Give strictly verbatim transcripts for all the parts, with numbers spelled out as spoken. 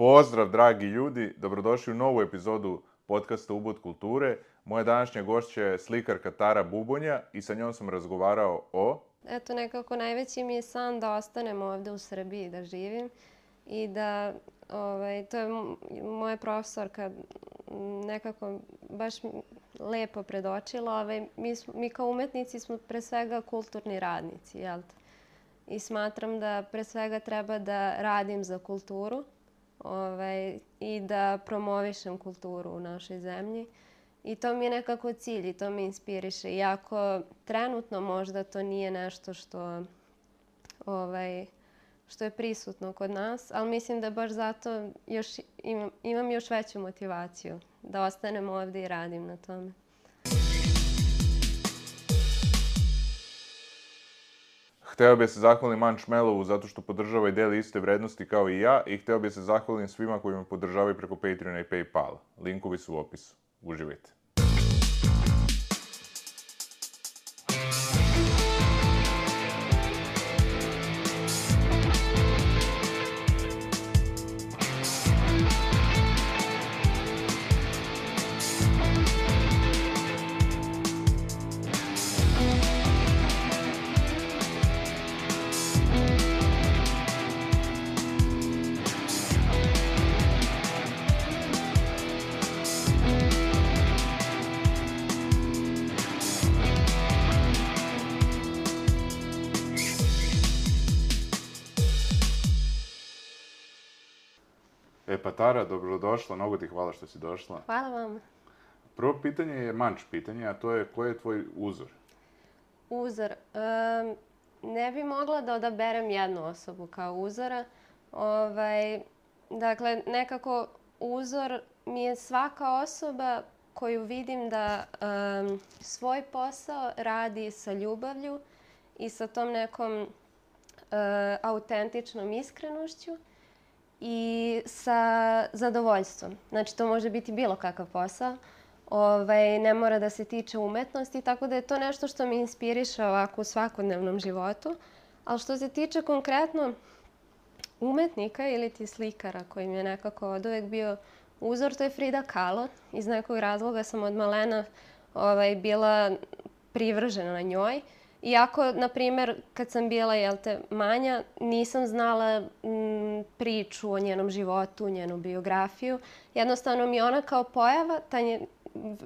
Pozdrav, dragi ljudi, dobrodošli u novu epizodu podcasta Ubud kulture. Moja današnja gošća je slikarka Tara Bubonja i sa njom sam razgovarao o... Eto, nekako najveći mi je san da ostanem ovde u Srbiji, da živim i da, ovaj, to je moja profesorka nekako baš lepo predočila. Ovaj, mi, mi kao umetnici smo pre svega kulturni radnici, jel te? I smatram da pre svega treba da radim za kulturu ovaj, i da promovišem kulturu u našoj zemlji. I to mi je nekako cilj i to me inspiriše. Iako trenutno možda to nije nešto što, ovaj, što je prisutno kod nas, ali mislim da baš zato još imam, imam još veću motivaciju da ostanem ovde i radim na tome. Hteo bih se zahvalim Mančmelovu zato što podržava i deli iste vrednosti kao i ja i hteo bih se zahvalim svima koji me podržavaju preko Patreona i Paypala. Linkovi su u opisu. Uživajte. E pa Tara, dobrodošla, mnogo ti hvala što si došla. Hvala vam. Prvo pitanje je manč pitanje, a to je koji je tvoj uzor? Uzor? Um, ne bi mogla da odaberem jednu osobu kao uzora. Ovaj, dakle, nekako uzor mi je svaka osoba koju vidim da um, svoj posao radi sa ljubavlju i sa tom nekom uh, autentičnom iskrenošću i sa zadovoljstvom. Znači, to može biti bilo kakav posao. Ovaj, ne mora da se tiče umetnosti, tako da je to nešto što me inspiriše ovako u svakodnevnom životu. Ali što se tiče konkretno umetnika ili ti slikara koji mi je nekako od uvek bio uzor, to je Frida Kahlo. Iz nekog razloga sam od malena ovaj, bila privržena na njoj. Iako, na primer, kad sam bila, jel te, manja, nisam znala m, priču o njenom životu, njenu biografiju. Jednostavno mi ona kao pojava, ta nje,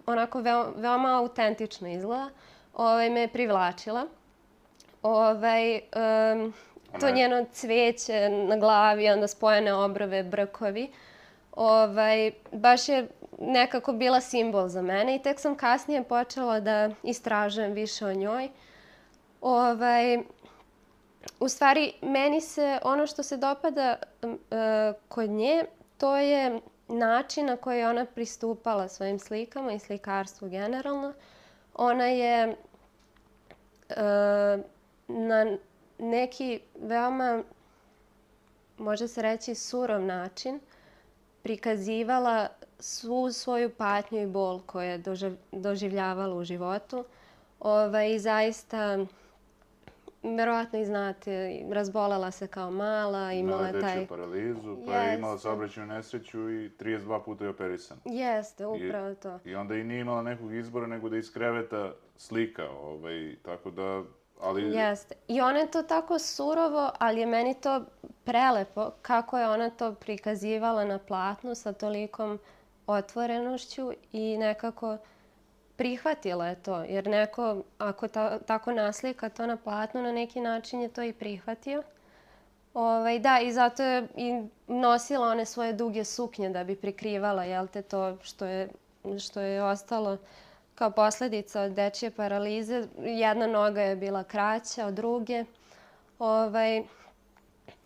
onako veo, veoma autentično izgleda, ovaj, me je privlačila. Ovaj, um, to njeno cveće na glavi, onda spojene obrove, brkovi, ovaj, baš je nekako bila simbol za mene i tek sam kasnije počela da istražujem više o njoj. Ovaj, u stvari, meni se ono što se dopada uh, kod nje, to je način na koji je ona pristupala svojim slikama i slikarstvu generalno. Ona je uh, na neki veoma, može se reći, surov način prikazivala svu svoju patnju i bol koju je doživ, doživljavala u životu. Ovaj, I zaista... Verovatno i znate, razbolela se kao mala, imala je taj... Imala je dečju paralizu, pa je imala saobraćajnu nesreću i trideset dva puta je operisana. Jeste, upravo to. I, I onda i nije imala nekog izbora nego da iz kreveta slika, ovaj, tako da... Ali... Jeste. I ona je to tako surovo, ali je meni to prelepo kako je ona to prikazivala na platnu sa tolikom otvorenošću i nekako... Prihvatila je to, jer neko, ako ta, tako naslika to na platnu, na neki način je to i prihvatio. Ovaj, da, i zato je i nosila one svoje duge suknje da bi prikrivala, jel te, to što je, što je ostalo kao posljedica od dečje paralize. Jedna noga je bila kraća od druge. Ovaj,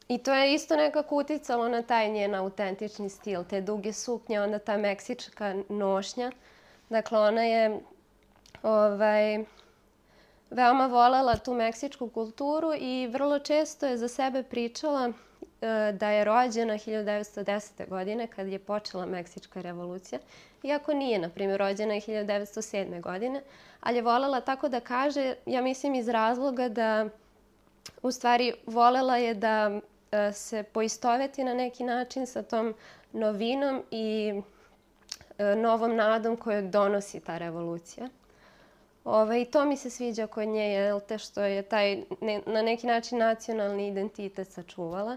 I to je isto nekako uticalo na taj njen autentični stil, te duge suknje, onda ta meksička nošnja. Dakle, ona je ovaj, veoma volela tu meksičku kulturu i vrlo često je za sebe pričala e, da je rođena hiljadu devetsto desete. godine kad je počela Meksička revolucija. Iako nije, na primjer, rođena je hiljadu devetsto sedme. godine, ali je volela tako da kaže, ja mislim iz razloga da u stvari volela je da e, se poistoveti na neki način sa tom novinom i e, novom nadom koju donosi ta revolucija. Ove, I to mi se sviđa kod nje, jel te, što je taj ne, na neki način nacionalni identitet sačuvala.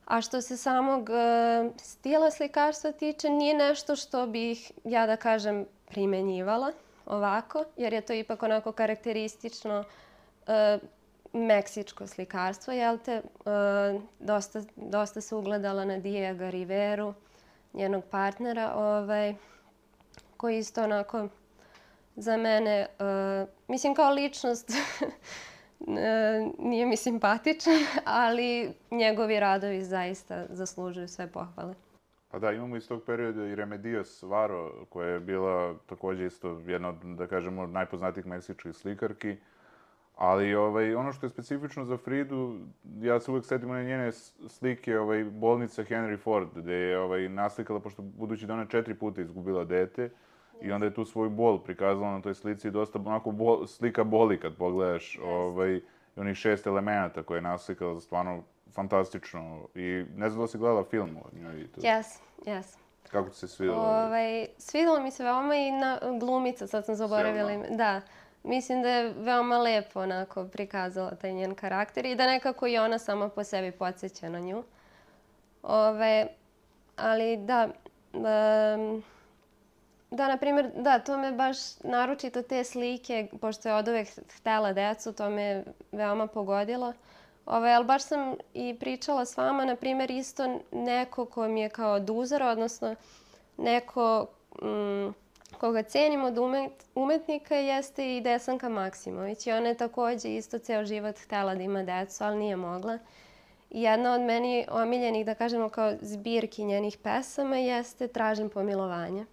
A što se samog e, stila slikarstva tiče, nije nešto što bih, ja da kažem, primenjivala ovako, jer je to ipak onako karakteristično e, meksičko slikarstvo, jel te? E, dosta, dosta se ugledala na Diego Riveru, njenog partnera, ovaj, koji isto onako za mene, uh, mislim kao ličnost, nije mi simpatičan, ali njegovi radovi zaista zaslužuju sve pohvale. Pa da, imamo iz tog perioda i Remedios Varo, koja je bila također isto jedna od, da kažemo, najpoznatijih meksičkih slikarki. Ali ovaj, ono što je specifično za Fridu, ja se uvijek setim one njene slike ovaj, bolnice Henry Ford, gde je ovaj, naslikala, pošto budući da ona četiri puta izgubila dete, i onda je tu svoju bol prikazala na toj slici, dosta onako bol, slika boli kad pogledaš, yes. ovaj, i onih šest elemenata koje je naslikala, stvarno fantastično. I ne znam da si gledala film od njoj. Jes, jes. Kako ti se svidjelo? Ovaj, svidjelo mi se veoma i na glumica, sad sam zaboravila ime. Da. Mislim da je veoma lepo onako prikazala taj njen karakter i da nekako i ona sama po sebi podsjeća na nju. Ove, ali da, um, da, na primjer, da, to me baš naročito te slike, pošto je od uvek htela decu, to me veoma pogodilo. Ove, ali baš sam i pričala s vama, na primjer, isto neko ko mi je kao od uzora, odnosno neko mm, koga cenim od umet, umetnika jeste i Desanka Maksimović. I ona je također isto ceo život htela da ima decu, ali nije mogla. I jedna od meni omiljenih, da kažemo, kao zbirki njenih pesama jeste Tražim pomilovanje.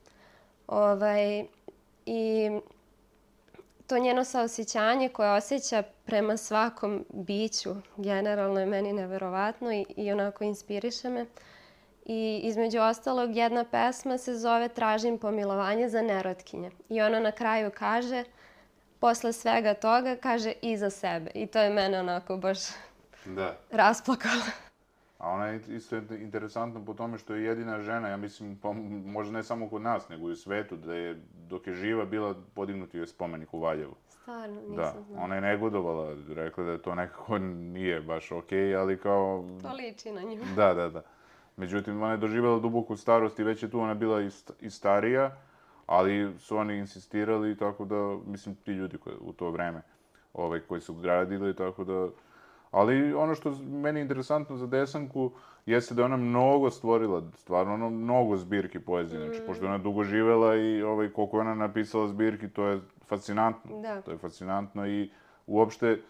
Ovaj, I to njeno saosjećanje koje osjeća prema svakom biću generalno je meni neverovatno i, i onako inspiriše me. I između ostalog jedna pesma se zove Tražim pomilovanje za nerotkinje. I ona na kraju kaže, posle svega toga, kaže i za sebe. I to je mene onako baš da. rasplakalo. A ona je isto interesantna po tome što je jedina žena, ja mislim, pa možda ne samo kod nas, nego i u svetu, da je dok je živa bila podignuti joj spomenik u Valjevu. Stvarno, nisam da. znala. Ona je negodovala, rekla da to nekako nije baš okej, ali kao... To liči na nju. Da, da, da. Međutim, ona je doživjela duboku starost i već je tu ona bila i, st i starija, ali su oni insistirali, tako da, mislim, ti ljudi koji, u to vreme ovaj, koji su gradili, tako da... Ali ono što meni je interesantno za Desanku jeste da je ona mnogo stvorila, stvarno ono mnogo zbirki poezije. Znači, mm. pošto je ona dugo živela i ovaj, koliko je ona napisala zbirki, to je fascinantno. Da. To je fascinantno i uopšte,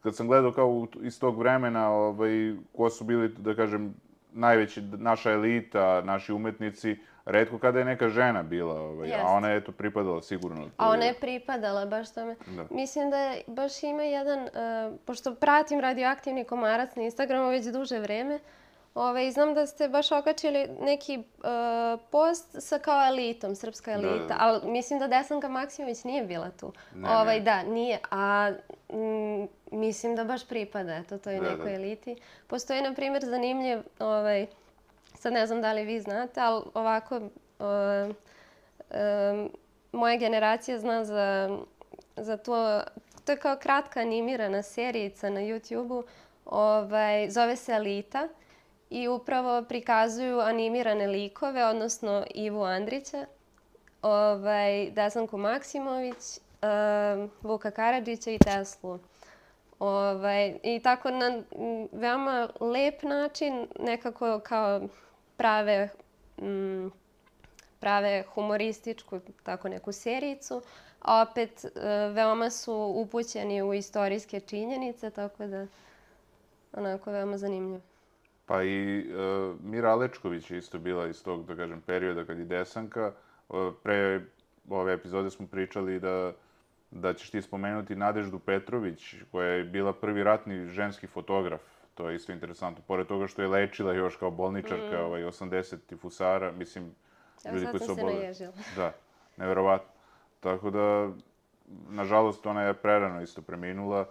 kad sam gledao kao iz tog vremena, ovaj, ko su bili, da kažem, najveći, naša elita, naši umetnici, retko kada je neka žena bila, ovaj, a ona je eto pripadala sigurno. A ona je pripadala, baš tome. Da. Mislim da je, baš ima jedan, uh, pošto pratim Radioaktivni komarac na Instagramu već duže vreme, Ove, znam da ste baš okačili neki uh, post sa kao elitom, srpska elita, da, da. Ali mislim da Desanka Maksimović nije bila tu. Ne, ovaj, ne. Da, nije, a m, mislim da baš pripada eto, toj da, nekoj da. eliti. Postoji, na primjer, zanimljiv, ovaj, sad ne znam da li vi znate, ali ovako, uh, um, moja generacija zna za, za to, to je kao kratka animirana serijica na YouTubeu, ovaj, zove se Elita. I upravo prikazuju animirane likove, odnosno Ivu Andrića, ovaj, Desanku Maksimović, um, Vuka Karadžića i Teslu. Ovaj, I tako na veoma lep način, nekako kao prave, m, prave humorističku tako neku serijicu, a opet uh, veoma su upućeni u istorijske činjenice, tako da onako veoma zanimljivo. Pa i uh, Mira Alečković je isto bila iz tog, da kažem, perioda kad je Desanka. Uh, pre ove epizode smo pričali da, da ćeš ti spomenuti Nadeždu Petrović, koja je bila prvi ratni ženski fotograf. To je isto interesantno. Pored toga što je lečila još kao bolničarka, mm. ovaj, osamdeset tifusara, mislim, ja, ljudi koji su oboljeli. Da, neverovatno. Tako da, nažalost, ona je prerano isto preminula.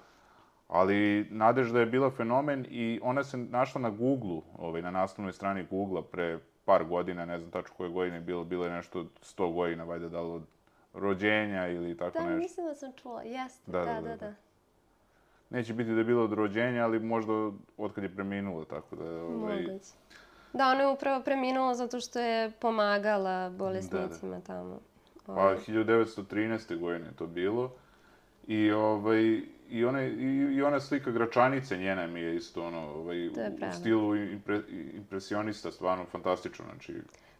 Ali Nadežda je bila fenomen i ona se našla na Google-u, ovaj, na naslovnoj strani Google-a pre par godina, ne znam tačno koje godine je bilo, bilo je nešto sto godina, valjda da li od rođenja ili tako Da, nešto. mislim da sam čula, jeste, Da, da, da, da, da. da. Neće biti da je bilo od rođenja, ali možda od kad je preminula, tako da... Ovaj... Moguće. Da, ona je upravo preminula zato što je pomagala bolesnicima tamo. Pa Ovaj, hiljadu devetsto trinaeste. godine je to bilo. I, ovaj, i, ona, i, i ona slika Gračanice njena mi je isto ono, ovaj, To je u pravo. stilu impre, impresionista, stvarno fantastično, znači...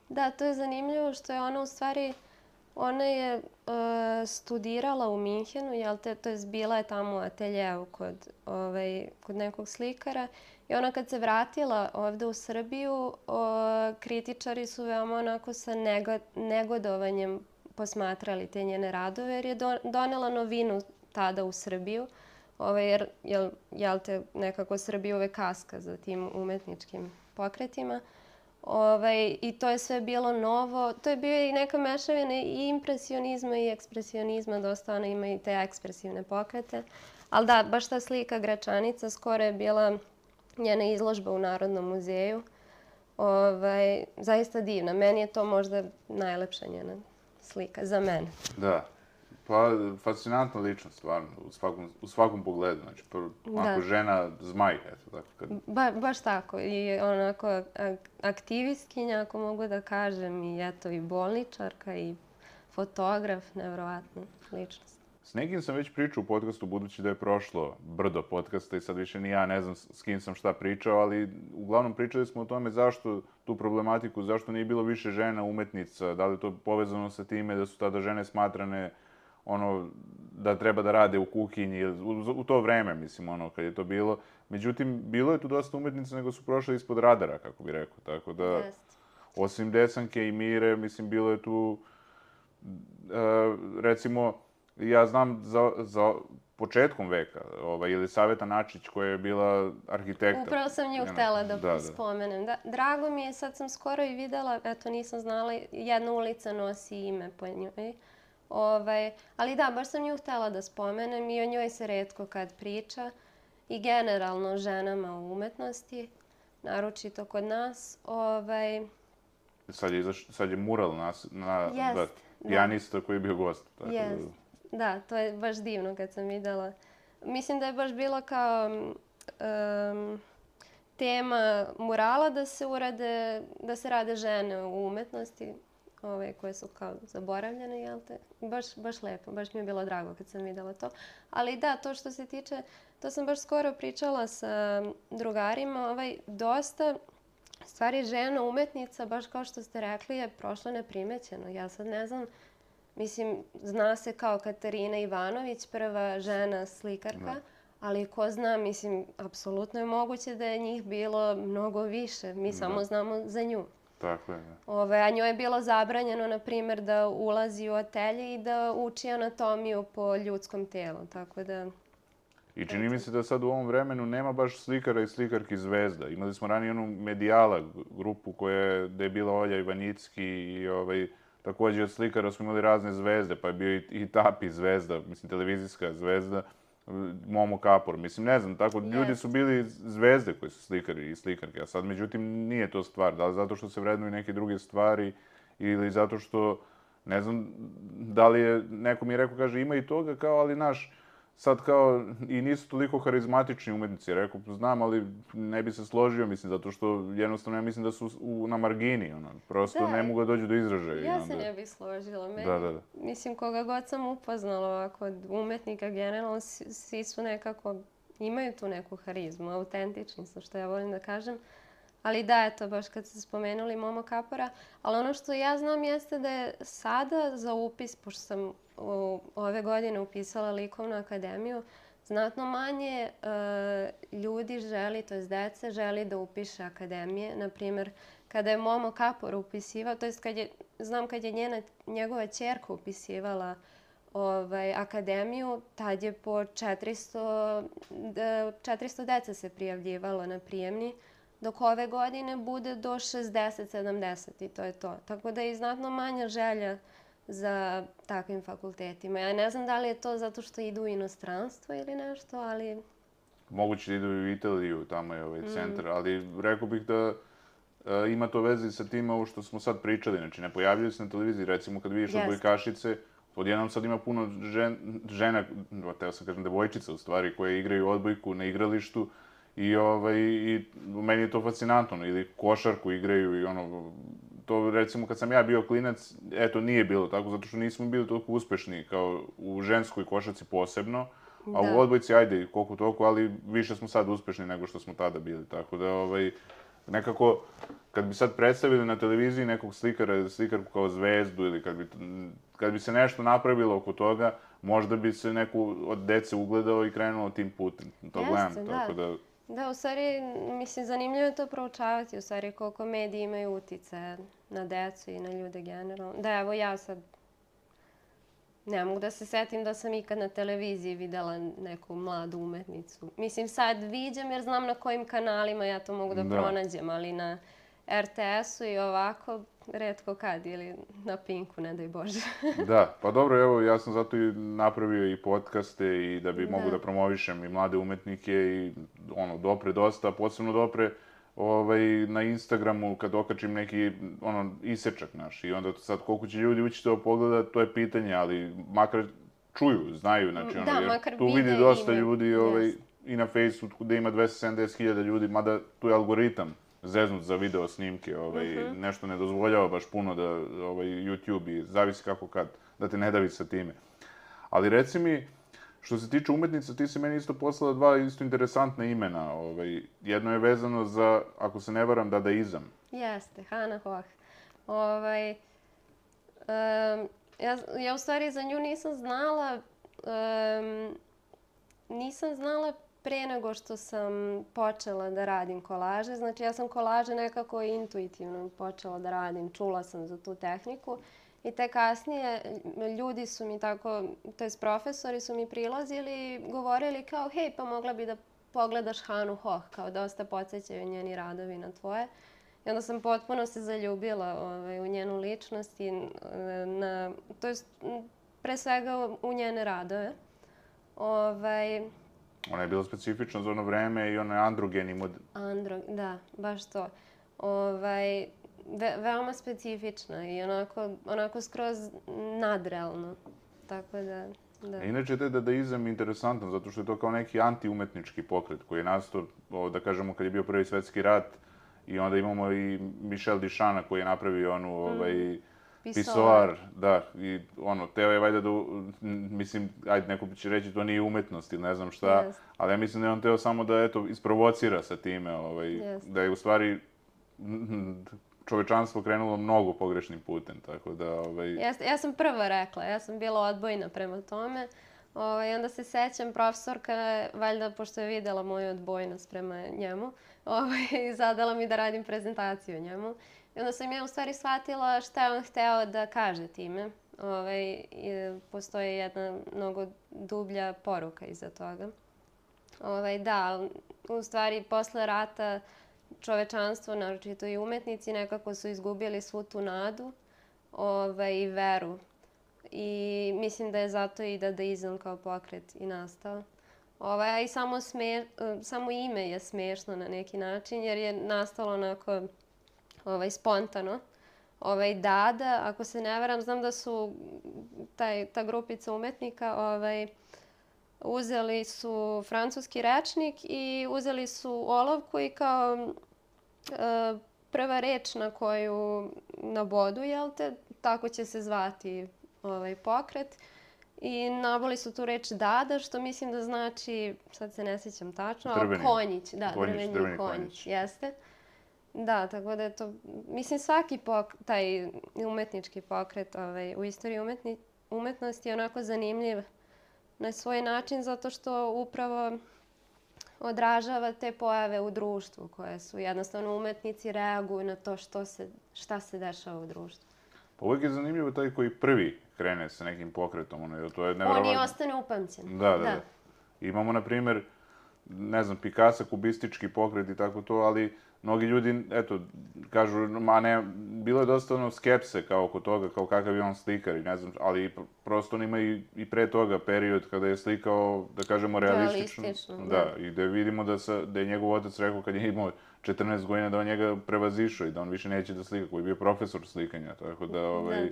Da, to je zanimljivo što je ona u stvari, ona je e, studirala u Minhenu, jel te, to je bila je tamo u ateljeu kod, ovaj, kod nekog slikara i ona kad se vratila ovde u Srbiju, o, kritičari su veoma onako sa nego, negodovanjem posmatrali te njene radove jer je do, donela novinu tada u Srbiju, ovaj, jer jel, jel te nekako Srbija uvek kaska za tim umetničkim pokretima. Ovaj, I to je sve bilo novo. To je bio i neka mešavina i impresionizma i ekspresionizma. Dosta ona ima i te ekspresivne pokrete. Ali da, baš ta slika Gračanica skoro je bila njena izložba u Narodnom muzeju. Ovaj, zaista divna. Meni je to možda najlepša njena slika za mene. Da. Pa, fascinantna ličnost, stvarno, u svakom, u svakom pogledu. Znači, prvo, onako, Da. žena zmaj, eto, tako kad... Ba, baš tako. I onako ak- aktivistkinja, ako mogu da kažem, i eto i bolničarka i fotograf, nevjerovatna ličnost. S nekim sam već pričao u podcastu, budući da je prošlo brdo podcasta i sad više ni ja ne znam s kim sam šta pričao, ali uglavnom pričali smo o tome zašto tu problematiku, zašto nije bilo više žena umetnica, da li je to povezano sa time da su tada žene smatrane ono, da treba da rade u kuhinji, u, u to vreme, mislim, ono, kad je to bilo. Međutim, bilo je tu dosta umetnica, nego su prošle ispod radara, kako bi rekao, tako da, Jest. osim Desanke i Mire, mislim, bilo je tu, e, recimo, ja znam za, za početkom veka, ovaj, Jelisaveta Načić, koja je bila arhitekta. Upravo sam nju Njena- htela da, da, da. spomenem. Da, drago mi je, sad sam skoro i videla, eto nisam znala, jedna ulica nosi ime po njoj. Ovaj, ali da, baš sam nju htela da spomenem i o njoj se retko kad priča. I generalno o ženama u umetnosti, naročito kod nas. Ovaj, Sad je, izaš, sad je mural na, na Jest, da, da. pijanista koji je bio gost. Tako da- Jest. Da, to je baš divno kad sam videla. Mislim da je baš bilo kao um, tema murala da se urade, da se rade žene u umetnosti, ove koje su kao zaboravljene, jel te? Baš, baš lepo, baš mi je bilo drago kad sam videla to. Ali da, to što se tiče, to sam baš skoro pričala sa drugarima, ovaj, dosta stvari žena umetnica, baš kao što ste rekli, je prošlo neprimećeno. Ja sad ne znam, mislim, zna se kao Katarina Ivanović, prva žena slikarka, Da. ali ko zna, mislim, apsolutno je moguće da je njih bilo mnogo više. Mi samo znamo za nju. Tako je, da. Ove, a njoj je bilo zabranjeno, na primjer, da ulazi u atelje i da uči anatomiju po ljudskom telu, tako da... I čini mi se da sad u ovom vremenu nema baš slikara i slikarki zvezda. Imali smo ranije onu Medijala grupu koja je, da je bila Olja Ivanicki i ovaj, takođe od slikara smo imali razne zvezde, pa je bio i, i Tapi zvezda, mislim televizijska zvezda, Momo Kapor, mislim ne znam, tako ljudi Jest. su bili zvezde koji su slikari i slikarke, a sad međutim nije to stvar, da li zato što se vrednuju neke druge stvari ili zato što, ne znam, da li je, neko mi je rekao, kaže ima i toga kao, ali naš, sad kao i nisu toliko harizmatični umetnici, rekao, znam, ali ne bi se složio, mislim, zato što jednostavno ja mislim da su u, na margini, ono, prosto Da. ne mogu da dođu do izražaja. i Ja onda- se ne bih složila. Meni, Da, da, da. Mislim, koga god sam upoznala ovako od umetnika generalno, svi svi su nekako, imaju tu neku harizmu, autentični su, što ja volim da kažem. Ali da, eto, baš kad ste spomenuli Momo Kapora, ali ono što ja znam jeste da je sada za upis, pošto sam u, ove godine upisala likovnu akademiju, znatno manje e, ljudi želi, to jest dece, želi da upiše akademije. Naprimjer, kada je Momo Kapor upisivao, to jest kad je, znam kad je njena, njegova ćerka upisivala ovaj, akademiju, tad je po četiristo, d- četiristo dece se prijavljivalo na prijemni, dok ove godine bude do šezdeset sedamdeset i to je to. Tako da je i znatno manja želja za takvim fakultetima. Ja ne znam da li je to zato što idu u inostranstvo ili nešto, ali moguće da idu u Italiju, tamo je ovaj centar, ali rekao bih da e, ima to veze i sa tim ovo što smo sad pričali, znači ne pojavljaju se na televiziji, recimo kad vidiš odbojkašice, odjednom sad ima puno žen, žena, teo sam kažem devojčica u stvari, koje igraju odbojku na igralištu i, ovaj, i meni je to fascinantno, ili košarku igraju i ono, to recimo kad sam ja bio klinac, eto nije bilo tako, zato što nismo bili toliko uspešni kao u ženskoj košarci posebno, a u odbojci, ajde, koliko toliko, ali više smo sad uspešni nego što smo tada bili, tako da, ovaj, nekako, kad bi sad predstavili na televiziji nekog slikara, slikarku kao zvezdu ili kad bi, kad bi se nešto napravilo oko toga, možda bi se neku od dece ugledao i krenuo tim putem. To gledam, tako da... Da, u stvari, mislim, zanimljivo je to proučavati, u stvari, koliko mediji imaju utice na decu i na ljude generalno. Da, evo ja sad ne mogu da se setim da sam ikad na televiziji videla neku mladu umetnicu. Mislim, sad viđam jer znam na kojim kanalima ja to mogu da pronađem, ali na er te esu i ovako, retko kad, ili na Pinku, ne daj Bože. Da, pa dobro, evo, ja sam zato i napravio i podcaste i da bi mogu da promovišem i mlade umetnike i ono, dopre dosta, posebno dopre ovaj, na Instagramu kad okačim neki ono, isečak naš i onda sad koliko će ljudi ući to pogleda, to je pitanje, ali makar čuju, znaju, znači ono, da, jer tu vidi dosta ljudi ovaj, i na Facebooku gde ima dvesta sedamdeset hiljada ljudi, mada tu je algoritam zeznut za video snimke, ovaj, nešto ne dozvoljava baš puno da ovaj, YouTube i zavisi kako kad, da te ne davi sa time. Ali reci mi, što se tiče umetnica, ti si meni isto poslala dva isto interesantna imena. Ovaj, jedno je vezano za, ako se ne varam, dadaizam. Jeste, Hannah Höch. Ovaj, um, ja, ja u stvari za nju nisam znala, um, nisam znala pre nego što sam počela da radim kolaže. Znači, ja sam kolaže nekako intuitivno počela da radim. Čula sam za tu tehniku. I te kasnije ljudi su mi tako, to jest profesori su mi prilazili i govorili kao, hej, pa mogla bi da pogledaš Hanu Höch, kao dosta podsjećaju njeni radovi na tvoje. I onda sam potpuno se zaljubila ovaj, u njenu ličnost i na, to jest pre svega u njene radove. Ovaj, Ona je bila specifična za ono vreme i ona je androgeni mod... Andro, da, baš to. Ovaj, ve, veoma specifična i onako, onako skroz nadrealno. Tako da, da. Inače, taj dadaizam je interesantan, zato što je to kao neki antiumetnički pokret koji je nastao, da kažemo, kad je bio Prvi svetski rat i onda imamo i Michel Dichana koji je napravio onu, ovaj, pisoar, da, i ono, teo je valjda da, mislim, ajde, neko će reći to nije umetnost ili ne znam šta, yes. ali ja mislim da je on teo samo da, eto, isprovocira sa time, ovaj, yes. da je u stvari čovečanstvo krenulo mnogo pogrešnim putem, tako da, ovaj... Ja, ja sam prva rekla, ja sam bila odbojna prema tome, ovaj, onda se sećam, profesorka, valjda, pošto je videla moju odbojnost prema njemu, ovaj, zadala mi da radim prezentaciju o njemu. I onda sam ja u stvari shvatila šta je on hteo da kaže time. Ovaj, postoji jedna mnogo dublja poruka iza toga. Ovaj, da, u stvari posle rata čovečanstvo, naročito i umetnici, nekako su izgubili svu tu nadu ovaj, i veru. I mislim da je zato i dadaizam kao pokret i nastao. Ovaj, a i samo, sme, samo ime je smešno na neki način jer je nastalo onako... Ovaj, spontano. Ovaj, Dada, ako se ne varam, znam da su taj, ta grupica umetnika ovaj, uzeli su francuski rečnik i uzeli su olovku i kao e, prva reč na koju nabodu, jel te, tako će se zvati ovaj, pokret. I naboli su tu reč Dada, što mislim da znači, sad se ne sjećam tačno, ali konjić. Da, drveni, drveni konjić, jeste. Da, tako da je to, mislim svaki pok, taj umetnički pokret ovaj, u istoriji umetni, umetnosti je onako zanimljiv na svoj način zato što upravo odražava te pojave u društvu koje su jednostavno umetnici reaguju na to što se, šta se dešava u društvu. Pa uvijek je zanimljivo taj koji prvi krene sa nekim pokretom. Ono, to je nevjerovatno. On i ostane upamćen. Da, da, da. Imamo, na primjer, ne znam, Picasso, kubistički pokret i tako to, ali mnogi ljudi, eto, kažu, ma ne, bilo je dosta ono skepse kao oko toga, kao kakav je on slikar i ne znam, ali prosto on ima i, i pre toga period kada je slikao, da kažemo, realistično. Realistično, Da, da. i da vidimo da, sa, da je njegov otac rekao kad je imao četrnaest godina da on njega prevazišao i da on više neće da slika, koji je bio profesor slikanja, tako da, ovaj, Da.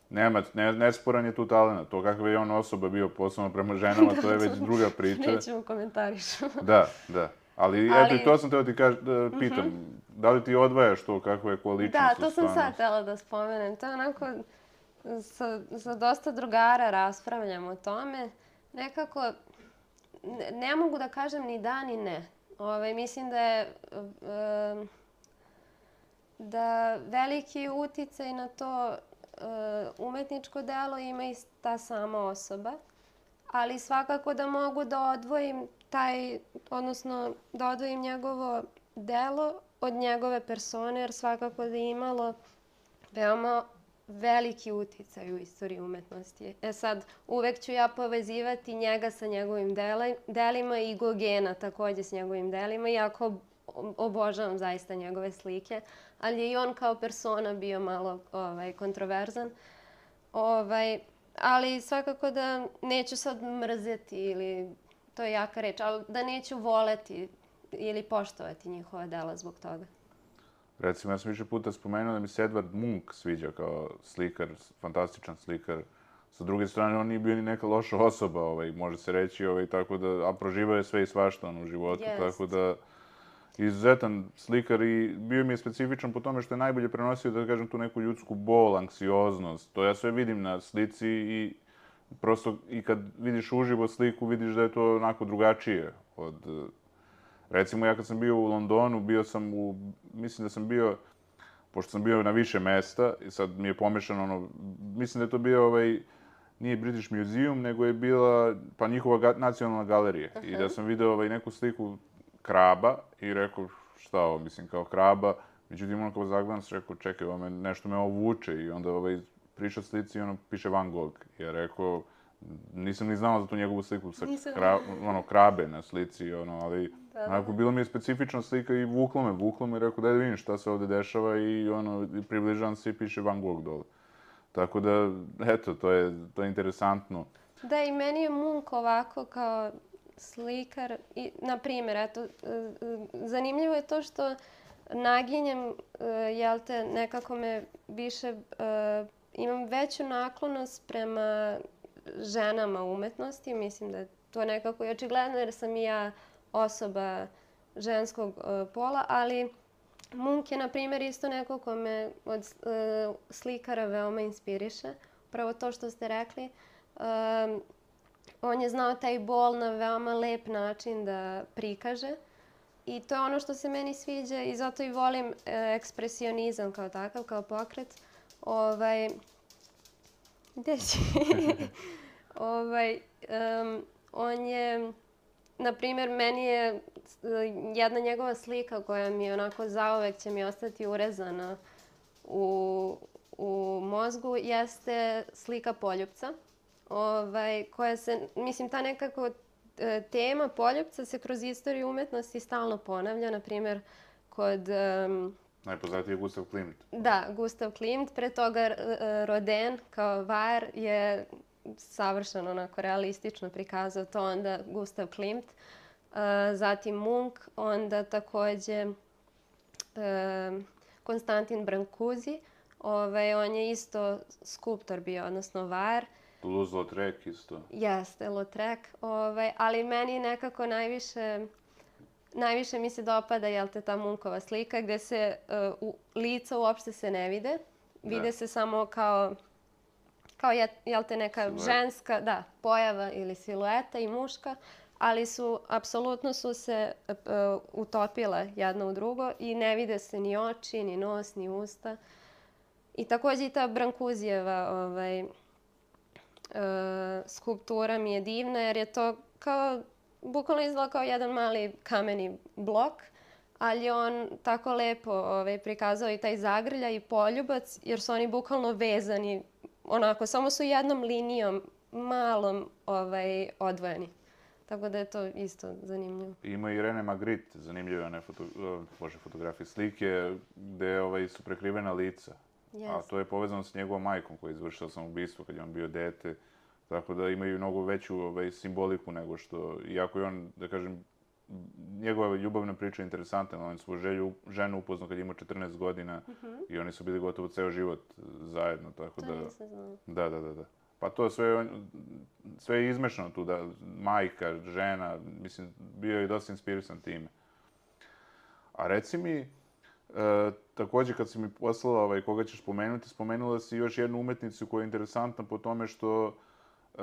nema, ne, nesporan je tu talent. To kakav je on osoba bio posebno prema ženama, to je već to druga priča. Nećemo komentarišu. Da, da. Ali, Ali- eto, i to sam teo ti kaž, da pitam. Da li ti odvajaš to kakva je ko ličnost Da, u to sam sad stvarnosti? htjela da spomenem. To je onako, sa, sa dosta drugara raspravljam o tome. Nekako, ne, ne mogu da kažem ni da ni ne. Ove, mislim da je e, da veliki uticaj na to e, umetničko delo ima i ta sama osoba. Ali svakako da mogu da odvojim taj, odnosno da odvojim njegovo delo od njegove persone, jer svakako da je imalo veoma veliki uticaj u istoriji umetnosti. E sad, uvek ću ja povezivati njega sa njegovim dela, delima i Gogena takođe s njegovim delima, iako obožavam zaista njegove slike, ali je i on kao persona bio malo ovaj, kontroverzan. Ovaj, ali svakako da neću sad mrzeti ili, to je jaka reč, ali da neću voleti ili poštovati njihova dela zbog toga. Recimo, ja sam više puta spomenuo da mi se Edvard Munch sviđa kao slikar, fantastičan slikar. Sa druge strane, on nije bio ni neka loša osoba, ovaj, može se reći, ovaj, tako da, a proživao je sve i svašta on, u životu, Jest. tako da izuzetan slikar i bio mi je specifičan po tome što je najbolje prenosio, da kažem, tu neku ljudsku bol, anksioznost. To ja sve vidim na slici i prosto i kad vidiš uživo sliku, vidiš da je to onako drugačije od... Recimo, ja kad sam bio u Londonu, bio sam u... Mislim da sam bio... Pošto sam bio na više mesta i sad mi je pomešano ono... Mislim da je to bio ovaj... Nije British Museum, nego je bila pa njihova ga, nacionalna galerija. I da sam video ovaj, neku sliku kraba i rekao šta ovo, mislim, kao kraba. Međutim, ono kao zagledam se rekao, čekaj, ovo me, nešto me ovo vuče i onda ovaj, priča slici i ono piše Van Gogh. I ja rekao, nisam ni znao za tu njegovu sliku sa kra, ono, krabe na slici, ono, ali Da, da. onako, bilo mi je specifična slika i vuklo me, vuklo me i rekao, daj da vidim šta se ovde dešava i ono, i približavam se i piše Van Gogh dole. Tako da, eto, to je, to je interesantno. Da, i meni je Munch ovako kao slikar, i, na primjer, eto, zanimljivo je to što naginjem, jel te, nekako me više, imam veću naklonost prema ženama umetnosti, mislim da je to nekako i očigledno jer sam i ja osoba ženskog pola, ali Munch je, na primjer, isto neko ko me od uh, slikara veoma inspiriše. Prvo to što ste rekli. Um, on je znao taj bol na veoma lep način da prikaže. I to je ono što se meni sviđa i zato i volim uh, ekspresionizam kao takav, kao pokret. Ovaj, gde si? ovaj, um, on je... Na primjer, meni je jedna njegova slika koja mi je onako zauvek će mi ostati urezana u, u mozgu, jeste slika poljupca. Ovaj, koja se, mislim, ta nekako tema poljupca se kroz istoriju umetnosti stalno ponavlja. Na primjer, kod... Um, Najpoznatiji je Gustav Klimt. Da, Gustav Klimt. Pre toga Rodin kao var je savršeno onako realistično prikazao to, onda Gustav Klimt, uh, zatim Munch, onda takođe uh, Konstantin Brancusi, ovaj, on je isto skulptor bio, odnosno var. Toulouse-Lautrec isto. Jeste, Lautrec, ovaj, ali meni nekako najviše, najviše mi se dopada, jel te, ta Munchova slika gde se uh, u, lica uopšte se ne vide, vide Da. se samo kao kao je, jel te, neka Silueta. ženska, da, pojava ili silueta i muška, ali su, apsolutno su se uh, utopile jedno u drugo i ne vide se ni oči, ni nos, ni usta. I takođe i ta Brancusijeva ovaj, uh, skulptura mi je divna jer je to kao, bukvalno izgleda kao jedan mali kameni blok, ali je on tako lepo ovaj, prikazao i taj zagrljaj i poljubac jer su oni bukvalno vezani onako, samo su jednom linijom, malom, ovaj, odvojeni. Tako da je to isto zanimljivo. Ima i René Magritte, zanimljive one foto, bože, fotografije, slike gde ovaj, su prekrivena lica. A Jest. to je povezano s njegovom majkom koja je izvršila samoubistvo kad je on bio dete. Tako da imaju mnogo veću ovaj, simboliku nego što, iako je on, da kažem, njegova ljubavna priča je interesantna, on je svoju želju, ženu upoznao kad je imao četrnaest godina i oni su bili gotovo ceo život zajedno, tako To da... nisam znala. Da, da, da, da. Pa to sve, on- sve je izmešano tu, da, majka, žena, mislim, bio je dosta inspirisan time. A reci mi, e, takođe kad si mi poslala ovaj, koga ćeš pomenuti, spomenula si još jednu umetnicu koja je interesantna po tome što e,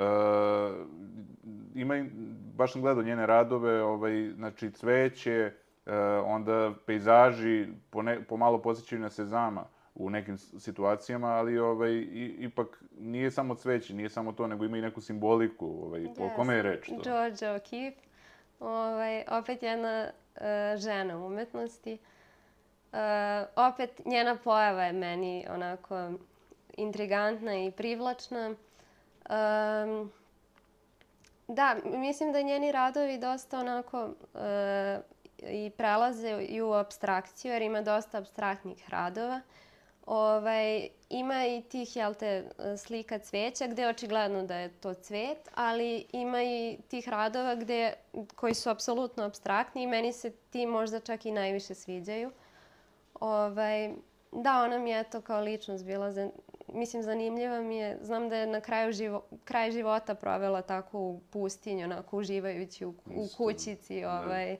ima, i- baš sam gledao njene radove, ovaj, znači cveće, e, onda pejzaži, pone, pomalo podsjećaju na Sezama u nekim s- situacijama, ali ovaj, i, ipak nije samo cveće, nije samo to, nego ima i neku simboliku. Ovaj, o kome je reč to? Georgia O'Keeffe, ovaj, opet jedna e, žena u umetnosti. E, opet njena pojava je meni onako intrigantna i privlačna. Em, da, mislim da njeni radovi dosta onako e, i prelaze i u apstrakciju, jer ima dosta apstraktnih radova. Ovaj, ima i tih, jel te, slika cveća gde je očigledno da je to cvet, ali ima i tih radova gde, koji su apsolutno apstraktni i meni se ti možda čak i najviše sviđaju. Ovaj, da, ona mi je to kao ličnost bila, za, mislim, zanimljiva mi je. Znam da je na kraju živo, kraj života provela tako u pustinju, onako uživajući u, u Isto, kućici, da. ovaj,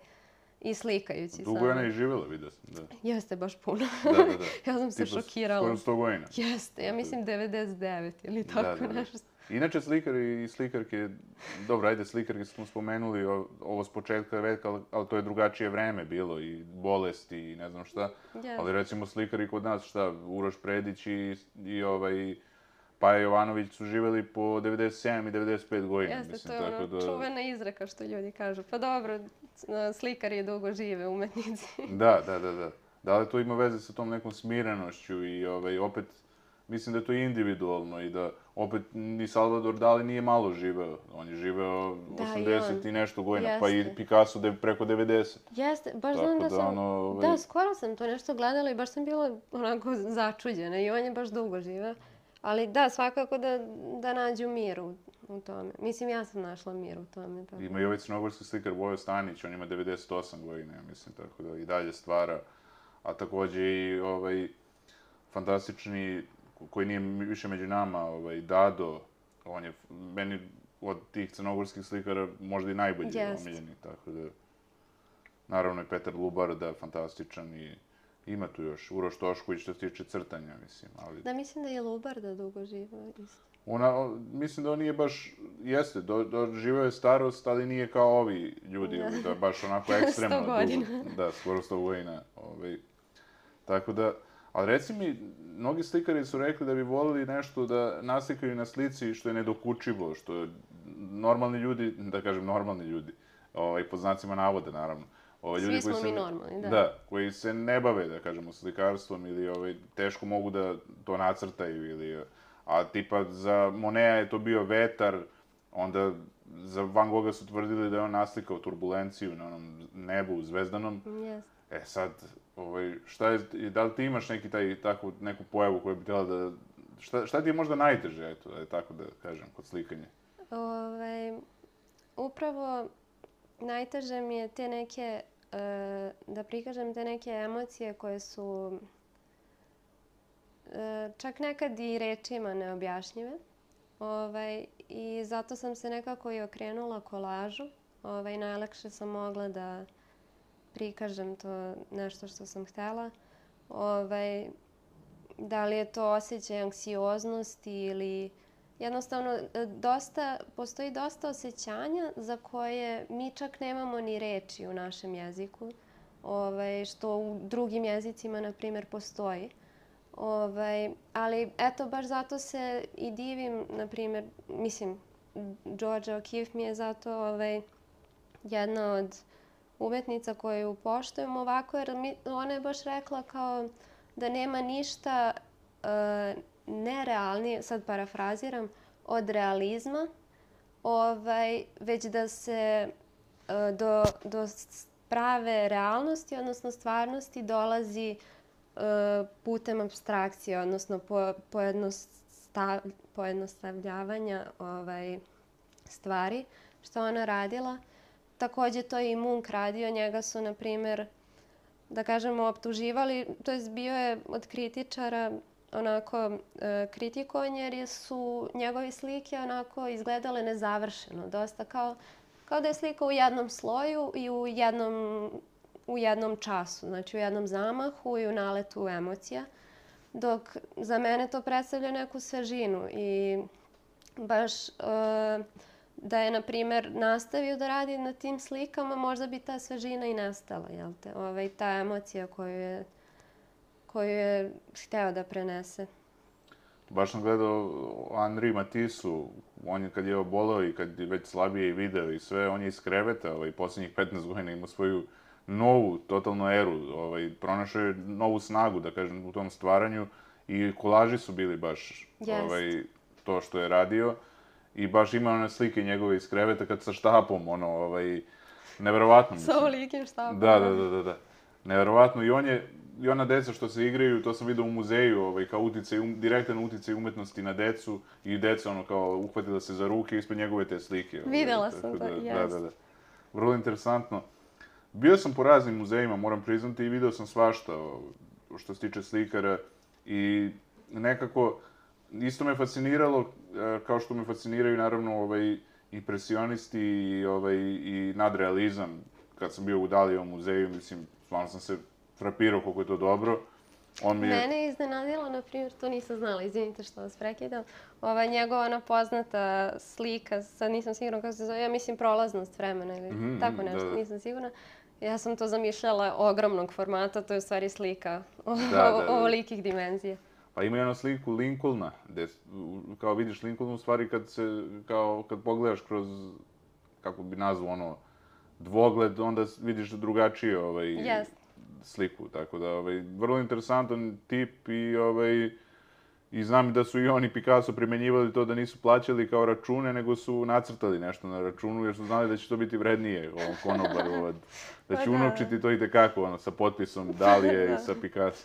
i slikajući Dugo je ona i živjela, vidio sam, da. Jeste, baš puno. Da, da, da. Ja sam se Tipa šokirala. skoro sto godina. Jeste, ja mislim devedeset devet ili tako Da, da, da. nešto. Inače, slikari i slikarke, dobro, ajde, slikarke smo spomenuli, o- ovo s početka veka, ali, ali to je drugačije vreme bilo, i bolesti, i ne znam šta. Jeste. Ali recimo slikari kod nas, šta, Uroš Predić i, i ovaj, Paja Jovanović su živeli po devedeset sedam i devedeset pet godina. Jeste, mislim, to je tako ono da... čuvena izreka što ljudi kažu. Pa dobro, c- slikari dugo žive, umetnici. Da, da, da, da. Da li to ima veze sa tom nekom smirenošću i ovaj, opet, mislim da je to individualno i da opet ni Salvador Dali nije malo živeo. On je živeo Da, i osamdeset i, on. nešto godina, pa i Jeste. Picasso de, preko devedeset. Jeste, baš Tako znam da da, sam... ono, ovaj- Da, skoro sam to nešto gledala i baš sam bila onako začuđena i on je baš dugo živeo. Ali da, svakako da, da nađu mir u, u tome. Mislim, ja sam našla mir u tome. Tako. Ima i ovaj crnogorski slikar Vojo Stanić, on ima devedeset osam godina, ja mislim, tako da i dalje stvara. A takođe i ovaj fantastični, koji nije više među nama, ovaj Dado, on je meni od tih crnogorskih slikara možda i najbolji Jest. omiljeni, tako da... Naravno i Petar Lubarda, fantastičan i ima tu još Uroš Tošković što se tiče crtanja, mislim, ali... Da, mislim da je Lubarda dugo živeo isto. Ona, o- mislim da on nije baš, jeste, do, doživeo je starost, ali nije kao ovi ljudi, Da. da baš onako ekstremno sto godina. dugo. Da, skoro sto godina. Ovaj. Tako da, ali reci mi, mnogi slikari su rekli da bi volili nešto da naslikaju na slici što je nedokučivo, što normalni ljudi, da kažem normalni ljudi, ovaj, pod znacima navoda naravno, ovaj, Svi ljudi smo koji mi se, normalni, da. Da, koji se ne bave, da kažemo, slikarstvom ili ovaj, teško mogu da to nacrtaju ili... A tipa za Monea je to bio vetar, onda za Van Gogha su tvrdili da je on naslikao turbulenciju na onom nebu zvezdanom. Jeste. E sad, ovaj, šta je, da li ti imaš neki taj, takvu, neku pojavu koju bi htjela da... Šta, šta ti je možda najteže, eto, da je tako da kažem, kod slikanja? Ovaj, upravo najteže mi je te neke, e, da prikažem te neke emocije koje su e, čak nekad i rečima neobjašnjive. Ovaj, I zato sam se nekako i okrenula kolažu. Ovaj, najlakše sam mogla da prikažem to nešto što sam htela. Ovaj, da li je to osjećaj anksioznosti ili jednostavno e, dosta, postoji dosta osjećanja za koje mi čak nemamo ni reči u našem jeziku, ovaj, što u drugim jezicima, na primjer, postoji. Ovaj, ali eto, baš zato se i divim, na primjer, mislim, Georgia O'Keeffe mi je zato ovaj, jedna od umetnica koju poštujem ovako, jer mi, ona je baš rekla kao da nema ništa e, nerealnije, sad parafraziram, od realizma, ovaj, već da se e, do, do prave realnosti, odnosno stvarnosti, dolazi putem apstrakcije, odnosno po, pojednostav, pojednostavljavanja ovaj, stvari što ona radila. Takođe to je i Munch radio, njega su, na primjer, da kažemo, optuživali, to jest bio je od kritičara onako e, kritikovan jer su njegove slike onako izgledale nezavršeno, dosta kao, kao da je slika u jednom sloju i u jednom, u jednom času, znači u jednom zamahu i u naletu emocija, dok za mene to predstavlja neku svežinu i baš e, da je, na primjer, nastavio da radi na tim slikama, možda bi ta svežina i nastala, jel te? Ovaj, ta emocija koju je, koju je hteo da prenese. Baš sam gledao Henri Matissu, on je kad je oboleo i kad je već slabije i video i sve, on je iz kreveta, ovaj, posljednjih petnaest godina imao svoju novu, totalnu eru, ovaj, pronašao je novu snagu, da kažem, u tom stvaranju i kolaži su bili baš ovaj, to što je radio. I baš ima one slike njegove iz kreveta kad sa štapom, ono, ovaj, neverovatno. Sa ovolikim štapom. Da, da, da, da, da. Neverovatno. I on je, i ona deca što se igraju, to sam vidio u muzeju, ovaj, kao uticaj, um, direktan uticaj umetnosti na decu i deca, ono, kao, uhvatila se za ruke ispred njegove te slike. Ovaj, videla sam da, to, da, da, da, da. Vrlo interesantno. Bio sam po raznim muzejima, moram priznati, i video sam svašta što se tiče slikara i nekako isto me fasciniralo, kao što me fasciniraju naravno ovaj, impresionisti i, ovaj, i nadrealizam. Kad sam bio u Dalijevom muzeju, mislim, stvarno sam se frapirao koliko je to dobro. On mi je... Mene je iznenadilo, na primjer, to nisam znala, izvinite što vas prekidam, ova njegova ona poznata slika, sad nisam sigurna kako se zove, ja mislim Prolaznost vremena ili mm-hmm, tako nešto, da, da. Nisam sigurna. Ja sam to zamišljala ogromnog formata, to je u stvari slika ovolikih dimenzija. Pa ima jednu sliku Lincolna, gde kao vidiš Lincoln u stvari kad se, kao kad pogledaš kroz, kako bi nazvao ono, dvogled, onda vidiš drugačije ovaj, yes. sliku. Tako da, ovaj, vrlo interesantan tip i, ovaj, i znam da su i oni Picasso primenjivali to da nisu plaćali kao račune, nego su nacrtali nešto na računu jer su znali da će to biti vrednije ovom konobaru, da će unovčiti to i tekako, ono, sa potpisom Dalije i sa Picasso.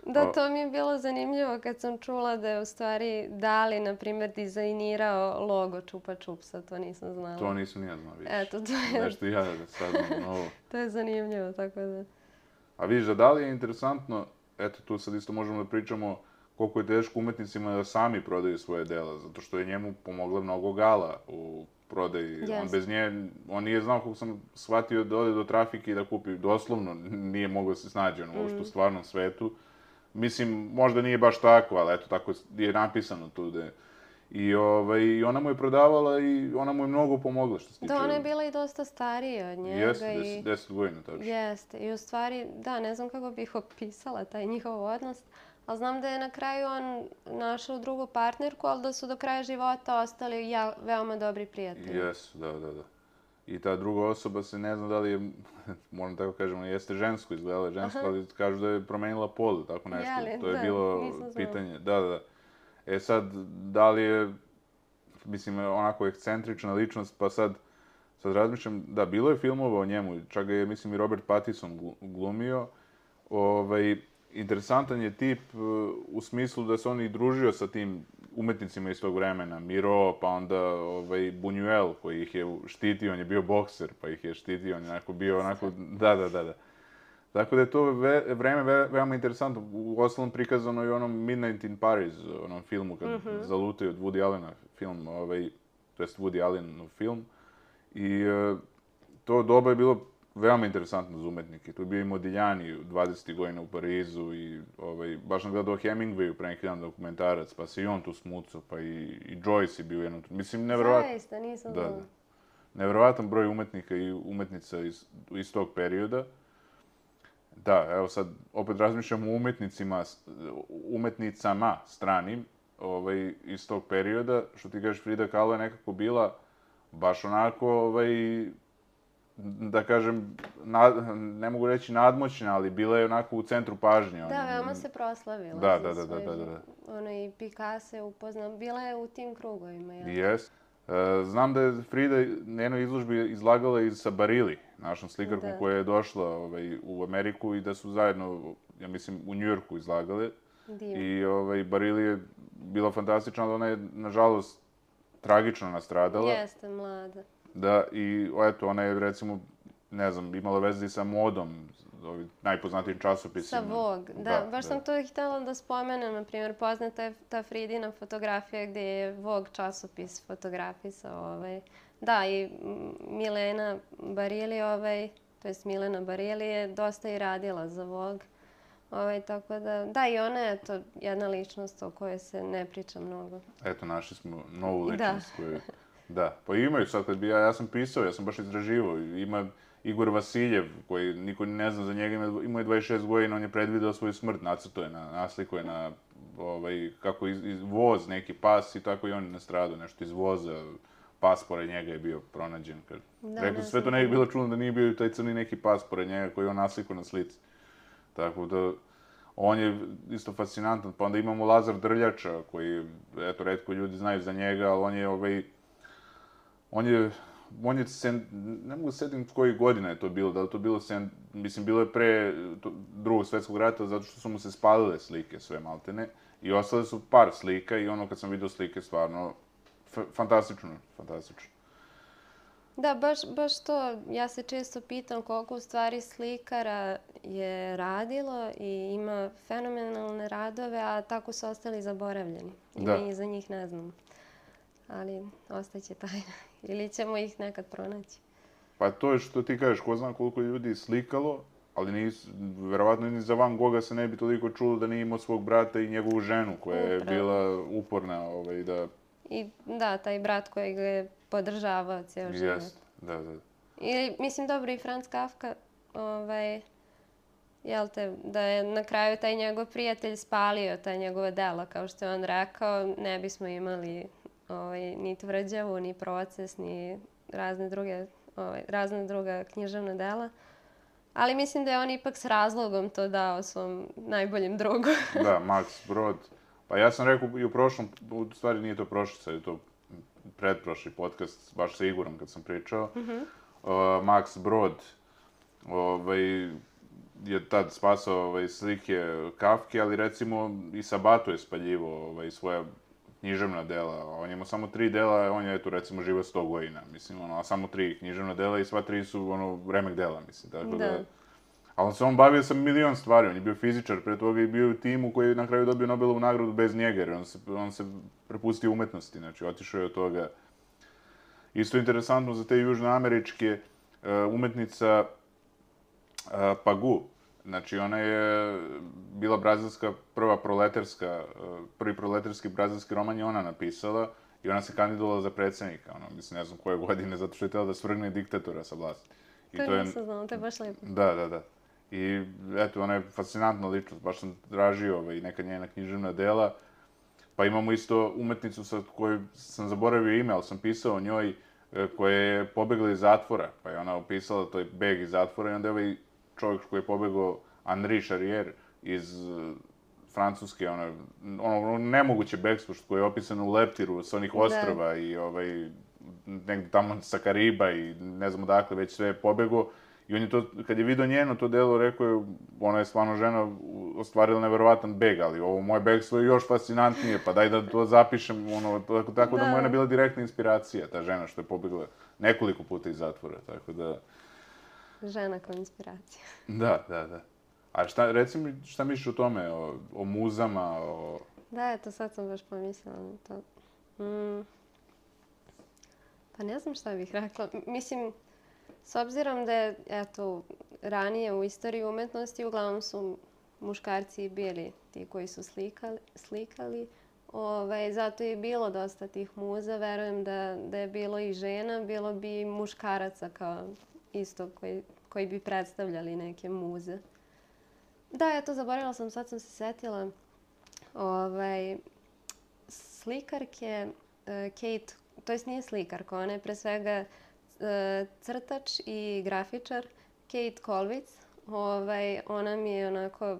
Da, to mi je bilo zanimljivo kad sam čula da je u stvari Dali, na primjer, dizajnirao logo Čupa Čupsa, to nisam znala. To nisam ni ja znala, vidiš. Eto, to je... Nešto i ja da saznam novo. To je zanimljivo, tako da... A vidiš, da Dali je interesantno, eto tu sad isto možemo da pričamo koliko je teško umetnicima da sami prodaju svoje dela, zato što je njemu pomogla mnogo Gala u prodaji. Yes. On bez nje, on nije znao kako sam shvatio da ode do trafike i da kupi, doslovno nije mogao se snađi ono, mm. u stvarnom svetu. Mislim, možda nije baš tako, ali eto, tako je napisano tu da je. I, ovaj, i ona mu je prodavala i ona mu je mnogo pomogla što se tiče... Da, ona je bila i dosta starija od njega. Jeste, deset, deset godina, tačno. Jeste, i u stvari, da, ne znam kako bih opisala taj njihov odnos, ali znam da je na kraju on našao drugu partnerku, ali da su do kraja života ostali ja, veoma dobri prijatelji. Jesu, da, da, da. I ta druga osoba se ne zna da li je, moram tako kažemo, jeste žensko, izgledala je žensko, aha, ali kažu da je promenila pol, tako nešto. Jeli, to je da, bilo pitanje. Da, da, da. E sad, da li je, mislim, onako ekscentrična ličnost, pa sad, sad razmišljam, da, bilo je filmova o njemu, čak ga je, mislim, i Robert Pattinson glumio. Ovaj, interesantan je tip u smislu da se on i družio sa tim umetnicima iz tog vremena, Miro, pa onda ovaj, Buñuel koji ih je štitio, on je bio bokser, pa ih je štitio, on je onako bio onako, da, da, da, da. Tako da je to ve, vreme ve, veoma interesantno, u ostalom prikazano i onom Midnight in Paris, onom filmu kad mm-hmm. zalutaju od Woody Allena film, ovaj, to jest Woody Allenov film, i uh, to doba je bilo veoma interesantno za umetnike. Tu je bio i Modigliani u dvadesetih godina u Parizu i ovaj, baš sam gledao Hemingwayu pre neki dan dokumentarac, pa se i on tu smucao, pa i, i Joyce je bio jednom... Mislim, nevjerovatno... Zaista, nisam da, da. Nevjerovatan broj umetnika i umetnica iz, iz tog perioda. Da, evo sad, opet razmišljam o umetnicima, umetnicama stranim ovaj, iz tog perioda. Što ti kažeš, Frida Kahlo je nekako bila baš onako, ovaj, da kažem, nad, ne mogu reći nadmoćna, ali bila je onako u centru pažnje. Da, veoma se proslavila. Da, da, da, da, da, da. Ono i Picasso je upoznao, bila je u tim krugovima. Jes. Znam da je Frida na jednoj izložbi izlagala i sa Barili, našom slikarkom koja je došla ovaj, u Ameriku i da su zajedno ja mislim, u Njujorku izlagale. Divno. I ovaj, Barili je bila fantastična, ali ona je, nažalost, tragično nastradala. Jeste, mlada. Da, i eto, ona je, recimo, ne znam, imala veze i sa modom, ovim najpoznatijim časopisima. Sa Vogue, da. Da, baš da. sam to htjela da spomenem, na primjer, poznata je ta Fridina fotografija gdje je Vogue časopis fotografisao. Ovaj. Da, i Milena Barili, ovaj, to jest Milena Barili je dosta i radila za Vogue. Ovaj, tako da, da, i ona je to jedna ličnost o kojoj se ne priča mnogo. Eto, našli smo novu Da. ličnost koju... Da, pa imaju sad, kad bi ja, ja sam pisao, ja sam baš istraživao, ima Igor Vasiljev, koji niko ne zna za njega, ima- imao je dvadeset šest godina, on je predvideo svoju smrt, nacrtao je, na, naslikao je na, ovaj, kako iz, iz, voz, neki pas i tako i on je nastradao, nešto iz voza, pas pored njega je bio pronađen. Kad... Da, Rekao, ne sve to znam. ne bi bilo čudno da nije bio i taj crni neki pas pored njega koji je on naslikao na slici. Tako da, on je isto fascinantan. Pa onda imamo Lazar Drljača, koji, eto, retko ljudi znaju za njega, ali on je, ovaj, on je, on je, sen, ne mogu setim koji godina je to bilo, da li to bilo, sen, mislim, bilo je pre to, drugog svjetskog rata, zato što su mu se spalile slike sve maltene, i ostale su par slika, i ono kad sam vidio slike, stvarno, f fantastično, fantastično. Da, baš, baš to. Ja se često pitam koliko u stvari slikara je radilo i ima fenomenalne radove, a tako su ostali zaboravljeni. I Da. mi za njih ne znamo. Ali ostaće tajna. Ili ćemo ih nekad pronaći. Pa to je što ti kažeš, ko zna koliko je ljudi slikalo, ali nis, verovatno ni za Van Gogha se ne bi toliko čulo da nije imao svog brata i njegovu ženu, koja je Upravo. bila uporna, ovaj, da... I da, taj brat koji ga je podržavao cijel život. Jest, da, da. I, mislim, dobro, i Franz Kafka, ovaj, jel te, da je na kraju taj njegov prijatelj spalio ta njegova dela, kao što je on rekao, ne bismo imali ovaj, ni tvrđavu, ni proces, ni razne druge, ovaj, razne druga književna dela. Ali mislim da je on ipak s razlogom to dao svom najboljem drugu. Da, Max Brod. Pa ja sam rekao i u prošlom, u stvari nije to prošli, sad je to pretprošli podcast, baš sa Igorom kad sam pričao. Mhm. Uh, Max Brod ovaj, je tad spasao ovaj, slike Kafke, ali recimo i Sabato je spaljivao ovaj, svoja književna dela. On je imao samo tri dela, on je eto recimo živio sto godina, mislim, ono, a samo tri književna dela i sva tri su ono remek dela, mislim, tako da... Da. Ali on se on bavio sa milion stvari, on je bio fizičar, pre toga i bio u timu koji je na kraju dobio Nobelovu nagradu bez njega, jer on se, on se prepustio umetnosti, znači otišao je od toga. Isto interesantno za te južnoameričke uh, umetnica uh, Pagu. Znači, ona je bila brazilska prva proletarska, uh, prvi proletarski brazilski roman je ona napisala i ona se kandidovala za predsjednika, ono, mislim, ne znam koje godine, zato što je htjela da svrgne diktatora sa vlasti. I To nisam znala, to je baš lijepo. Da, da, da. I eto, ona je fascinantna ličnost, baš sam tražio ovaj, neka njena književna dela. Pa imamo isto umetnicu sa kojoj sam zaboravio ime, ali sam pisao o njoj, e, koja je pobegla iz zatvora. Pa je ona opisala to je beg iz zatvora i onda je ovaj čovjek koji je pobegao, Henri Charrier, iz e, Francuske, ono, ono nemoguće begstvo što koje je opisano u Leptiru s onih ostrva i ovaj, negdje tamo sa Kariba i ne znam odakle, već sve je pobegao. I on je to, kad je vidio njeno to delo, rekao je, ona je stvarno žena ostvarila neverovatan beg, ali ovo moje begstvo je još fascinantnije, pa daj da to zapišem, ono, tako, tako da, Da. mu je ona bila direktna inspiracija, ta žena što je pobegla nekoliko puta iz zatvora, tako da... Žena kao inspiracija. Da, da, da. A šta, reci mi, šta misliš o tome, o, o muzama, o... Da, eto, sad sam baš pomislila na to. Mm. Pa ne znam šta bih rekla. M- Mislim, s obzirom da je, eto, ranije u istoriji umetnosti uglavnom su muškarci bili ti koji su slikali, slikali. Ovaj, zato je bilo dosta tih muza. Verujem da, da je bilo i žena, bilo bi i muškaraca kao isto koji, koji bi predstavljali neke muze. Da, eto, zaboravila sam, sad sam se setila. Ovaj, slikarke uh, Kate, to jest nije slikarka, ona je pre svega uh, crtač i grafičar, Kate Kolvic. Ovaj, ona mi je onako,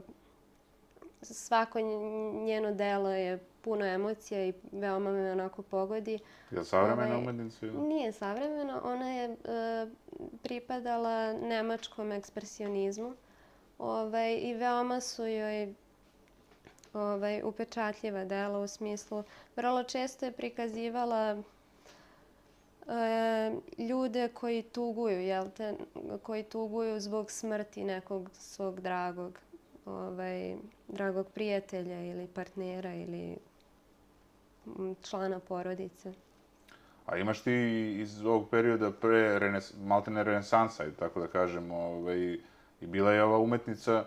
svako nj- njeno delo je puno emocija i veoma me onako pogodi. Je li savremena Ovaj, umetnica ili? Nije savremena, ona je uh, pripadala nemačkom ekspresionizmu. Ovaj, I veoma su joj ovaj, upečatljiva dela u smislu, vrlo često je prikazivala e, ljude koji tuguju, jel te, koji tuguju zbog smrti nekog svog dragog, ovaj, dragog prijatelja ili partnera ili člana porodice. A imaš ti iz ovog perioda pre renes, maltene renesansa, tako da kažem, ovaj, i bila je ova umetnica,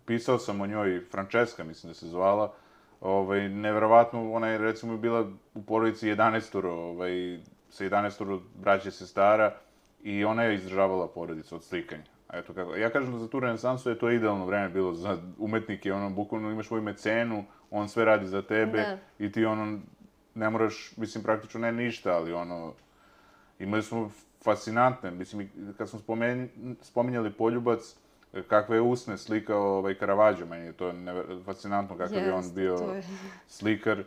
pisao sam o njoj, Francesca mislim da se zvala, ovaj, neverovatno, ona je recimo bila u porodici jedanaestoro, ovaj, sa jedanaestoro braće sestara i ona je izdržavala porodicu od slikanja. Eto kako. Ja kažem da za tu renesansu je to idealno vreme bilo za umetnike, ono, bukvalno imaš svoju mecenu, on sve radi za tebe Da. i ti ono, ne moraš, mislim, praktično ne ništa, ali ono, imali smo fascinantne, mislim, kad smo spomen, spominjali Poljubac, kakve je usne slikao ovaj Caravaggio, meni je to never, fascinantno kakav je on Jest, bio to je. slikar.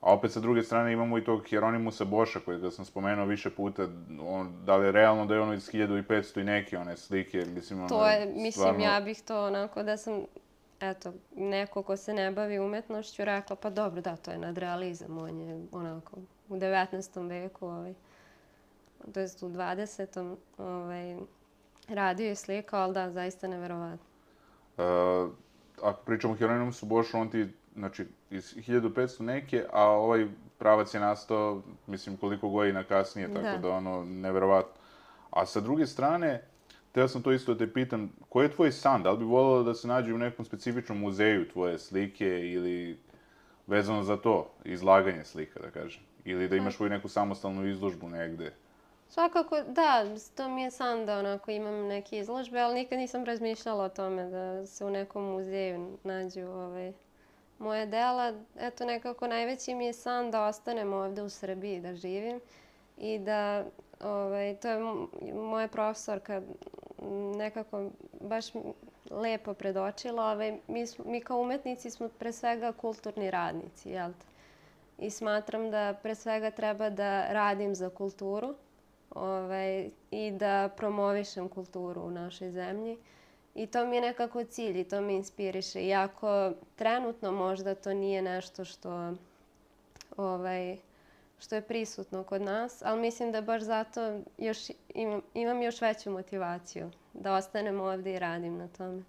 A opet sa druge strane imamo i tog Hieronymusa Boša, kojega sam spomenuo više puta, on, da li je realno da je ono iz hiljadu petsto i neke one slike, mislim, ono, To je, mislim, stvarno... ja bih to onako da sam, eto, neko ko se ne bavi umetnošću rekla, pa dobro, da, to je nadrealizam, on je onako u devetnaestom veku, ovaj, to jest u dvadesetom ovaj, radio je slikao, ali da, zaista neverovatno. Uh, ako pričamo o Hieronymusu Bošu, on ti, znači, iz hiljadu petsto neke, a ovaj pravac je nastao, mislim, koliko godina kasnije, tako Da. da, ono, neverovatno. A sa druge strane, teo sam to isto da te pitam, koji je tvoj san? Da li bi voljela da se nađe u nekom specifičnom muzeju tvoje slike ili vezano za to, izlaganje slika, da kažem? Ili da imaš svoju neku samostalnu izložbu negde? Svakako, da, to mi je san da onako imam neke izložbe, ali nikad nisam razmišljala o tome da se u nekom muzeju nađu ovaj, moje dela. Eto, nekako najveći mi je san da ostanem ovde u Srbiji, da živim i da, ovaj, to je moja profesorka nekako baš lepo predočila. Ovaj, mi, smo, mi kao umetnici smo pre svega kulturni radnici, jel te? I smatram da pre svega treba da radim za kulturu, ovaj, i da promovišem kulturu u našoj zemlji. I to mi je nekako cilj i to me inspiriše. Iako trenutno možda to nije nešto što, ovaj, što je prisutno kod nas, ali mislim da baš zato još imam, imam još veću motivaciju da ostanem ovde i radim na tome.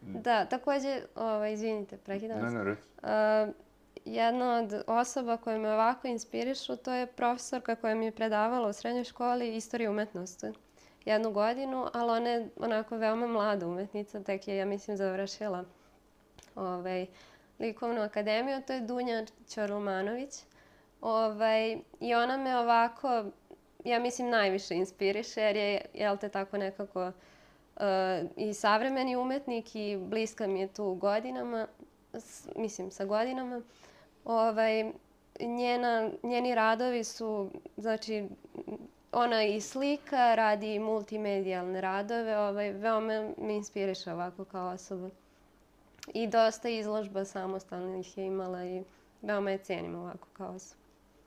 Da, takođe, ovaj, izvinite, prekidam vas. Ne, ne, reci. Uh, jedna od osoba koje me ovako inspirišu, to je profesorka koja mi je predavala u srednjoj školi istoriju umetnosti jednu godinu, ali ona je onako veoma mlada umetnica, tek je, ja mislim, završila ovaj, likovnu akademiju, to je Dunja Ćoromanović. Ovaj, I ona me ovako, ja mislim, najviše inspiriše, jer je, jel te, tako nekako uh, i savremeni umetnik i bliska mi je tu godinama, s, mislim, sa godinama. Ovaj, njena, njeni radovi su, znači, ona i slika, radi i multimedijalne radove, ovaj, veoma me inspiriše ovako kao osoba. I dosta izložba samostalnih je imala i veoma je cenim ovako kao osoba.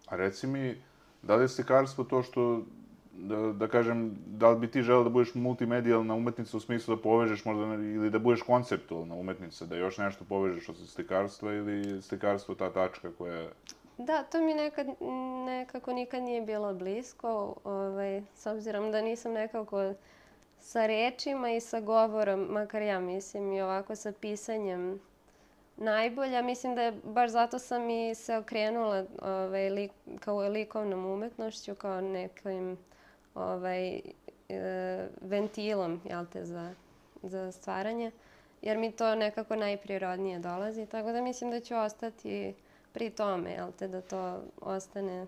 A reci mi, da li je slikarstvo to što, da, da kažem, da li bi ti želeo da budeš multimedijalna umetnica u smislu da povežeš možda, ili da budeš konceptualna umetnica, da još nešto povežeš od slikarstva ili slikarstvo ta tačka koja... Da, to mi nekad, nekako nikad nije bilo blisko, ovaj, s obzirom da nisam nekako sa rečima i sa govorom, makar ja mislim, i ovako sa pisanjem najbolja. Mislim da je baš zato sam i se okrenula ovaj, lik, kao likovnom umetnošću, kao nekim ovaj, e, ventilom, jel te, za, za stvaranje, jer mi to nekako najprirodnije dolazi, tako da mislim da ću ostati pri tome, jel te, da to ostane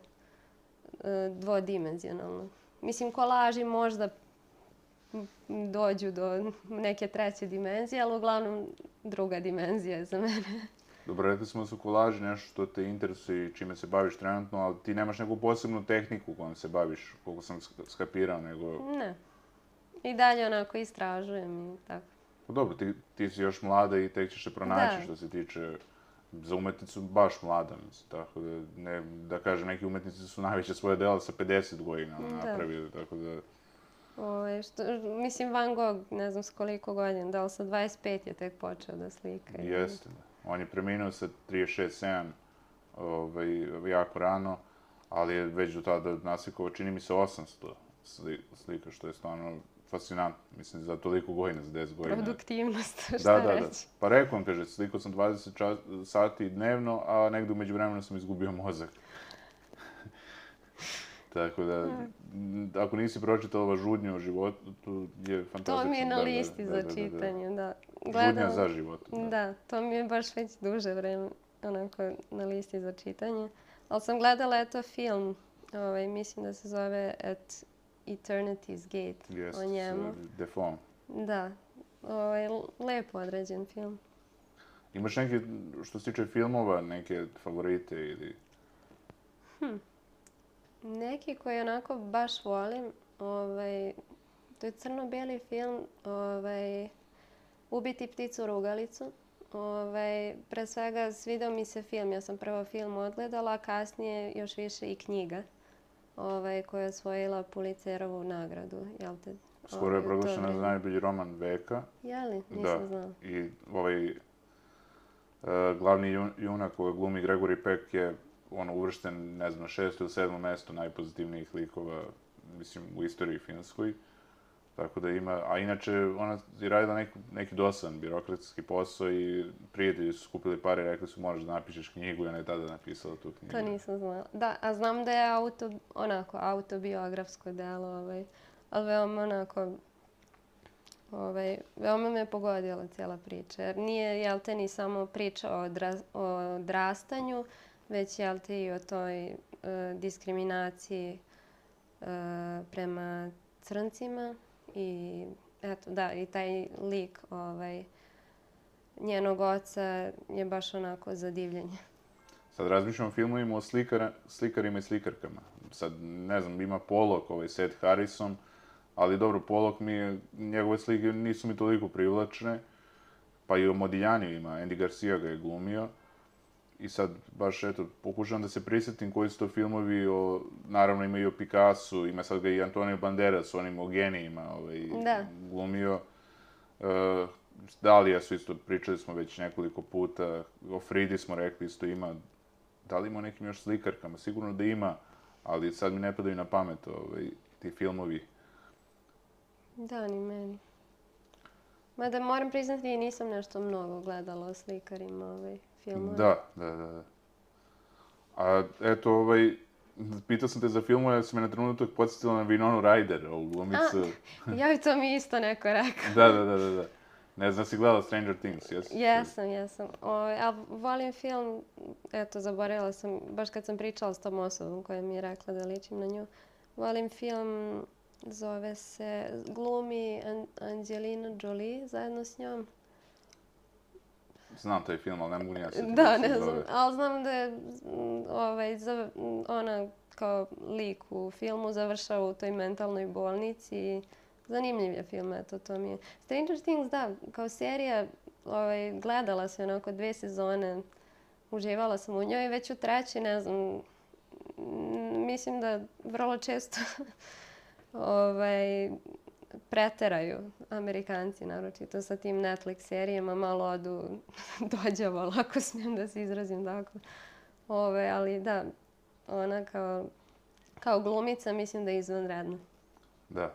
e, dvodimenzionalno. Mislim, kolaži možda dođu do neke treće dimenzije, ali uglavnom druga dimenzija je za mene. Dobro, rekli smo da su kolaži nešto što te interesuje i čime se baviš trenutno, ali ti nemaš neku posebnu tehniku kojom se baviš, koliko sam skapirao, nego... Ne. I dalje onako istražujem i tako. Pa dobro, ti, ti si još mlada i tek ćeš se pronaći Da. što se tiče za umetnicu baš mlada, mislim, tako da, ne, da kažem, neki umetnici su najveće svoje dela sa pedeset godina Da. napravili, tako da... Ovaj, što, mislim, Van Gogh, ne znam s koliko godina, da li sa dvadeset pet je tek počeo da slika. Jeste, da. On je preminuo sa trideset šest sedam, ovaj, jako rano, ali je već do tada naslikao, čini mi se, osamsto slika, što je stvarno fascinantno. Mislim, za toliko godina, za deset godina. Produktivnost, šta da, da, reći. Da. Pa rekao vam, kaže, slikao sam dvadeset čas, sati dnevno, a negde umeđu vremena sam izgubio mozak. Tako da, ako nisi pročitala ova Žudnja o životu, to je fantastično. To mi je na da, listi da, za da, da, čitanje, da. Gledam, Žudnja za život. Da. da, to mi je baš već duže vreme onako na listi za čitanje. Ali sam gledala eto film, ovaj, mislim da se zove At Eternity's Gate, yes, o njemu. Defoe. Da, ovaj, lepo određen film. Imaš neke, što se tiče filmova, neke favorite ili... Hm. Neki koji onako baš volim, ovaj, to je crno-beli film, ovaj, Ubiti pticu rugalicu. Ovaj, pre svega svidao mi se film, ja sam prvo film odgledala, a kasnije još više i knjiga ovaj, koja je osvojila Pulitzerovu nagradu. Jel te, Skoro je proglašena za najbolji roman veka. Je li? Nisam da. znala. I ovaj uh, glavni jun, junak koji glumi Gregory Peck je ono uvršten, ne znam, na šesto ili sedmo mesto najpozitivnijih likova, mislim, u istoriji finskoj. Tako da ima, a inače ona je radila neki, neki dosadan birokratski posao i prijatelji su skupili pare i rekli su možeš da napišeš knjigu i ona je tada napisala tu knjigu. To nisam znala. Da, a znam da je auto, onako, autobiografsko delo, ovaj, ali veoma onako, ovaj, veoma me pogodila cijela priča. Jer nije, jel te, ni samo priča o, dra, o odrastanju, već, jel te, i o toj uh, diskriminaciji uh, prema crncima. I eto, da, i taj lik ovaj, njenog oca je baš onako za divljenje. Sad razmišljam o filmovima o slikara, slikarima i slikarkama. Sad, ne znam, ima Pollock, ovaj Seth Harrison, ali dobro, Pollock mi je, njegove slike nisu mi toliko privlačne, pa i o Modiglianiu ima, Andy Garcia ga je glumio. I sad, baš, eto, pokušavam da se prisjetim koji su to filmovi, o, naravno ima i o Picassu, ima sad ga i Antonio Banderas, onim o genijima ovaj, da. glumio. Uh, Dalija su isto, pričali smo već nekoliko puta, o Fridi smo rekli isto ima, da li ima o nekim još slikarkama, sigurno da ima, ali sad mi ne padaju na pamet ovaj, ti filmovi. Da, ni meni. Mada moram priznati, nisam nešto mnogo gledala o slikarima ovaj, filmove. Da, da, da. A eto, ovaj, pitao sam te za filmove, ja sam me na trenutak podsjetila na Winonu Ryder, ovu glumicu. A, ja, to mi isto neko rekao. da, da, da, da, da. Ne znam, si gledala Stranger Things, jesi? Jesam, jesam. O, ali volim film, eto, zaboravila sam, baš kad sam pričala s tom osobom koja mi je rekla da ličim na nju. Volim film, zove se, glumi Angelina Jolie zajedno s njom. Znam taj film, ali ne mogu ni ja se Da, ne znam, ali znam da je ovaj, za, ona kao lik u filmu završava u toj mentalnoj bolnici i zanimljiv je film, eto, to mi je. Stranger Things, da, kao serija, ovaj, gledala sam onako dve sezone, uživala sam u njoj, već u trećoj, ne znam, mislim da vrlo često ovaj, preteraju Amerikanci, naročito sa tim Netflix serijama, malo odu dođavalo, ako smijem da se izrazim tako. Ove, ali da, ona kao, kao glumica mislim da je izvanredna. Da.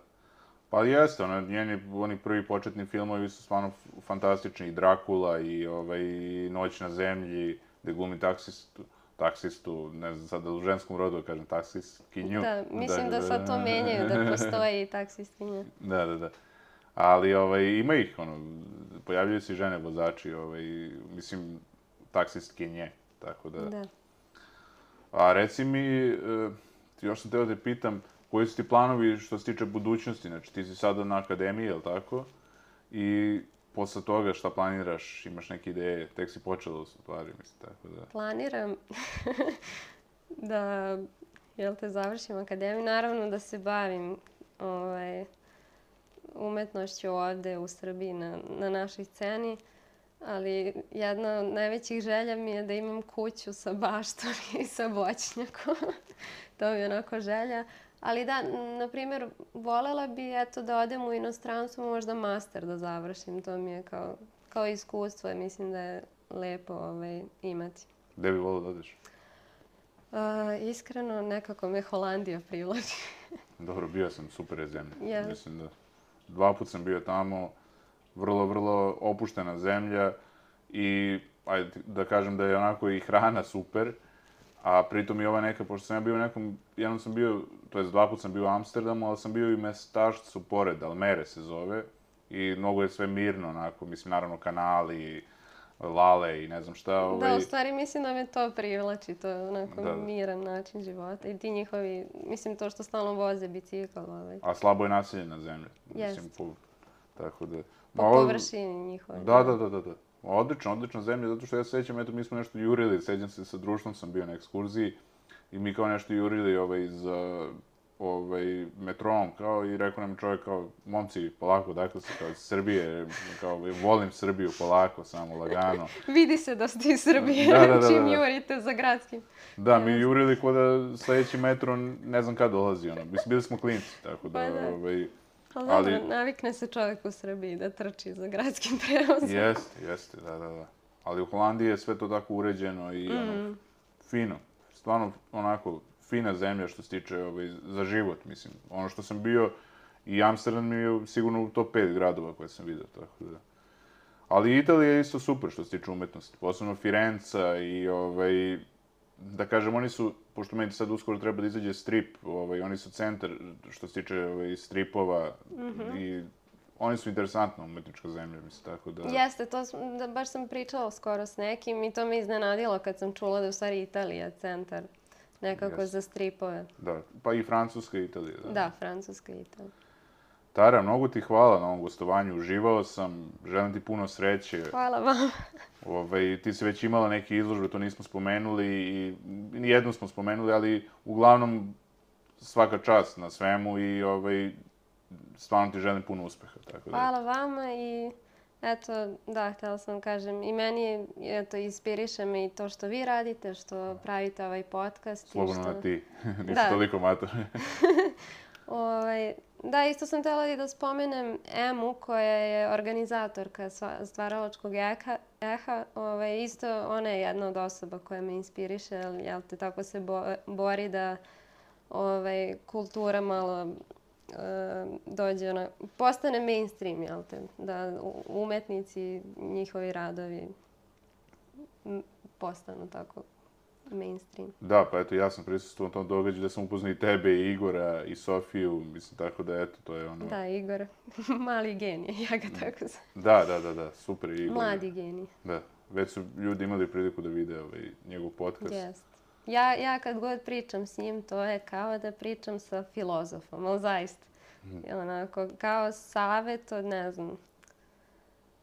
Pa jeste, ona, njeni, oni prvi početni filmovi su stvarno fantastični, i Dracula, i ovaj, Noć na zemlji, gde glumi taksistu, taksistu, ne znam sad da u ženskom rodu kažem, taksistkinju. Da, mislim da, da sad to menjaju, da postoji i taksistkinja. Da, da, da. Ali ovaj, ima ih, ono, pojavljaju se i žene vozači, ovaj, mislim, taksistkinje, tako da... Da. A reci mi, uh, još sam teo da te pitam, koji su ti planovi što se tiče budućnosti? Znači, ti si sada na akademiji, je li tako? I posle toga šta planiraš? Imaš neke ideje? Tek si počela u stvari, mislim, tako da... Planiram da, jel te, završim akademiju. Naravno da se bavim ovaj, umetnošću ovde u Srbiji na, na našoj sceni. Ali jedna od najvećih želja mi je da imam kuću sa baštom i sa voćnjakom. To mi je onako želja. Ali da, na primjer, volela bi eto da odem u inostranstvo, možda master da završim. To mi je kao, kao iskustvo, mislim da je lepo ovaj, imati. Gde bi volio da odeš? Uh, iskreno, nekako me Holandija privlači. Dobro, bio sam, super je zemlja. Yes. Mislim da dva put sam bio tamo, vrlo, vrlo opuštena zemlja i ajde da kažem da je onako i hrana super, a pritom i ova neka, pošto sam ja bio u nekom, jednom sam bio, to jest dva put sam bio u Amsterdamu, ali sam bio i u mestašcu pored, Almere se zove, i mnogo je sve mirno, onako, mislim, naravno kanali, lale i ne znam šta. Ovaj... Da, u stvari mislim da me to privlači, to je onako da, da. miran način života i ti njihovi, mislim to što stalno voze bicikl. Ovaj. A slabo je naseljena zemlja. Jest. Mislim, po, tako da... Po Ma, površini njihove. Da, da, da, da, da. Odlična, odlična zemlja, zato što ja se sećam, eto, mi smo nešto jurili, sećam se sa društvom sam bio na ekskurziji i mi kao nešto jurili ovaj, za ovaj, metrom, kao, i rekao nam čovjek kao, momci, polako, dakle se kao iz Srbije, kao, volim Srbiju, polako, samo, lagano. Vidi se da ste iz Srbije, da, da, da, da. čim jurite za gradskim. Da, mi jurili k'o da sledeći metro ne znam kad dolazi, ono, mislim, bili smo klinci, tako da, Pa da. ovaj... Ali, ali dobro, navikne se čovjek u Srbiji da trči za gradskim prevozom. Jeste, jeste, da, da, da. Ali u Holandiji je sve to tako uređeno i mm. ono, fino. Stvarno, onako, fina zemlja što se tiče ovaj, za život, mislim. Ono što sam bio, i Amsterdam mi je sigurno u top pet gradova koje sam vidio, tako da. Ali Italija je isto super što se tiče umetnosti, posebno Firenca i, ovaj, da kažem, oni su, pošto meni sad uskoro treba da izađe strip, ovaj, oni su centar što se tiče ovaj, stripova mm-hmm. i oni su interesantna umetnička zemlja, mislim, tako da... Jeste, to sam, da, baš sam pričala skoro s nekim i to me iznenadilo kad sam čula da je u stvari Italija centar nekako yes. za stripove. Da, pa i Francuska i Italija. Da, da Francuska i Italija. Tara, mnogo ti hvala na ovom gostovanju, uživao sam, želim ti puno sreće. Hvala vam. Ovaj, ti si već imala neke izložbe, to nismo spomenuli i jednu smo spomenuli, ali uglavnom svaka čast na svemu i ovaj, stvarno ti želim puno uspeha. Tako da. Hvala vama i eto, da, htjela sam kažem, i meni eto, inspiriše me i to što vi radite, što pravite ovaj podcast. Slobodno što... na ti, nisi toliko mator. ovaj, Da, isto sam htjela i da spomenem Emu, koja je organizatorka stvaralačkog eha. eha. Ovaj, isto ona je jedna od osoba koja me inspiriše, jel te, tako se bo, bori da ovaj, kultura malo uh, dođe, ona, postane mainstream, jel te, da umetnici, njihovi radovi postanu tako mainstream. Da, pa eto, ja sam prisustvovao tom događaju da sam upoznao i tebe, i Igora, i Sofiju, mislim, tako da, eto, to je ono... Da, Igor, mali genij, ja ga tako znam. Da, da, da, da, super Igor. Mladi genij. Da, već su ljudi imali priliku da vide ovaj, njegov podcast. Jest. Ja, ja kad god pričam s njim, to je kao da pričam sa filozofom, ali zaista. Mm. Onako, kao savjet od, ne znam,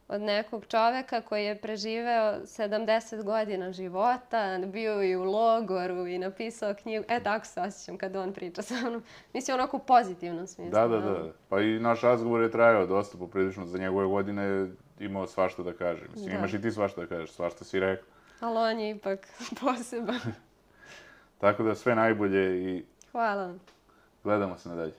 od nekog čoveka koji je preživeo sedamdeset godina života, bio i u logoru i napisao knjigu. E, tako se osjećam kad on priča sa mnom. Mislim, onako u pozitivnom smislu. Da, da, da. Pa i naš razgovor je trajao dosta poprilično. Za njegove godine imao svašta da kaže. Mislim, da. Imaš i ti svašta da kažeš, svašta si rekao. Ali on je ipak poseban. Tako da sve najbolje i... Hvala vam. Gledamo se nadalje.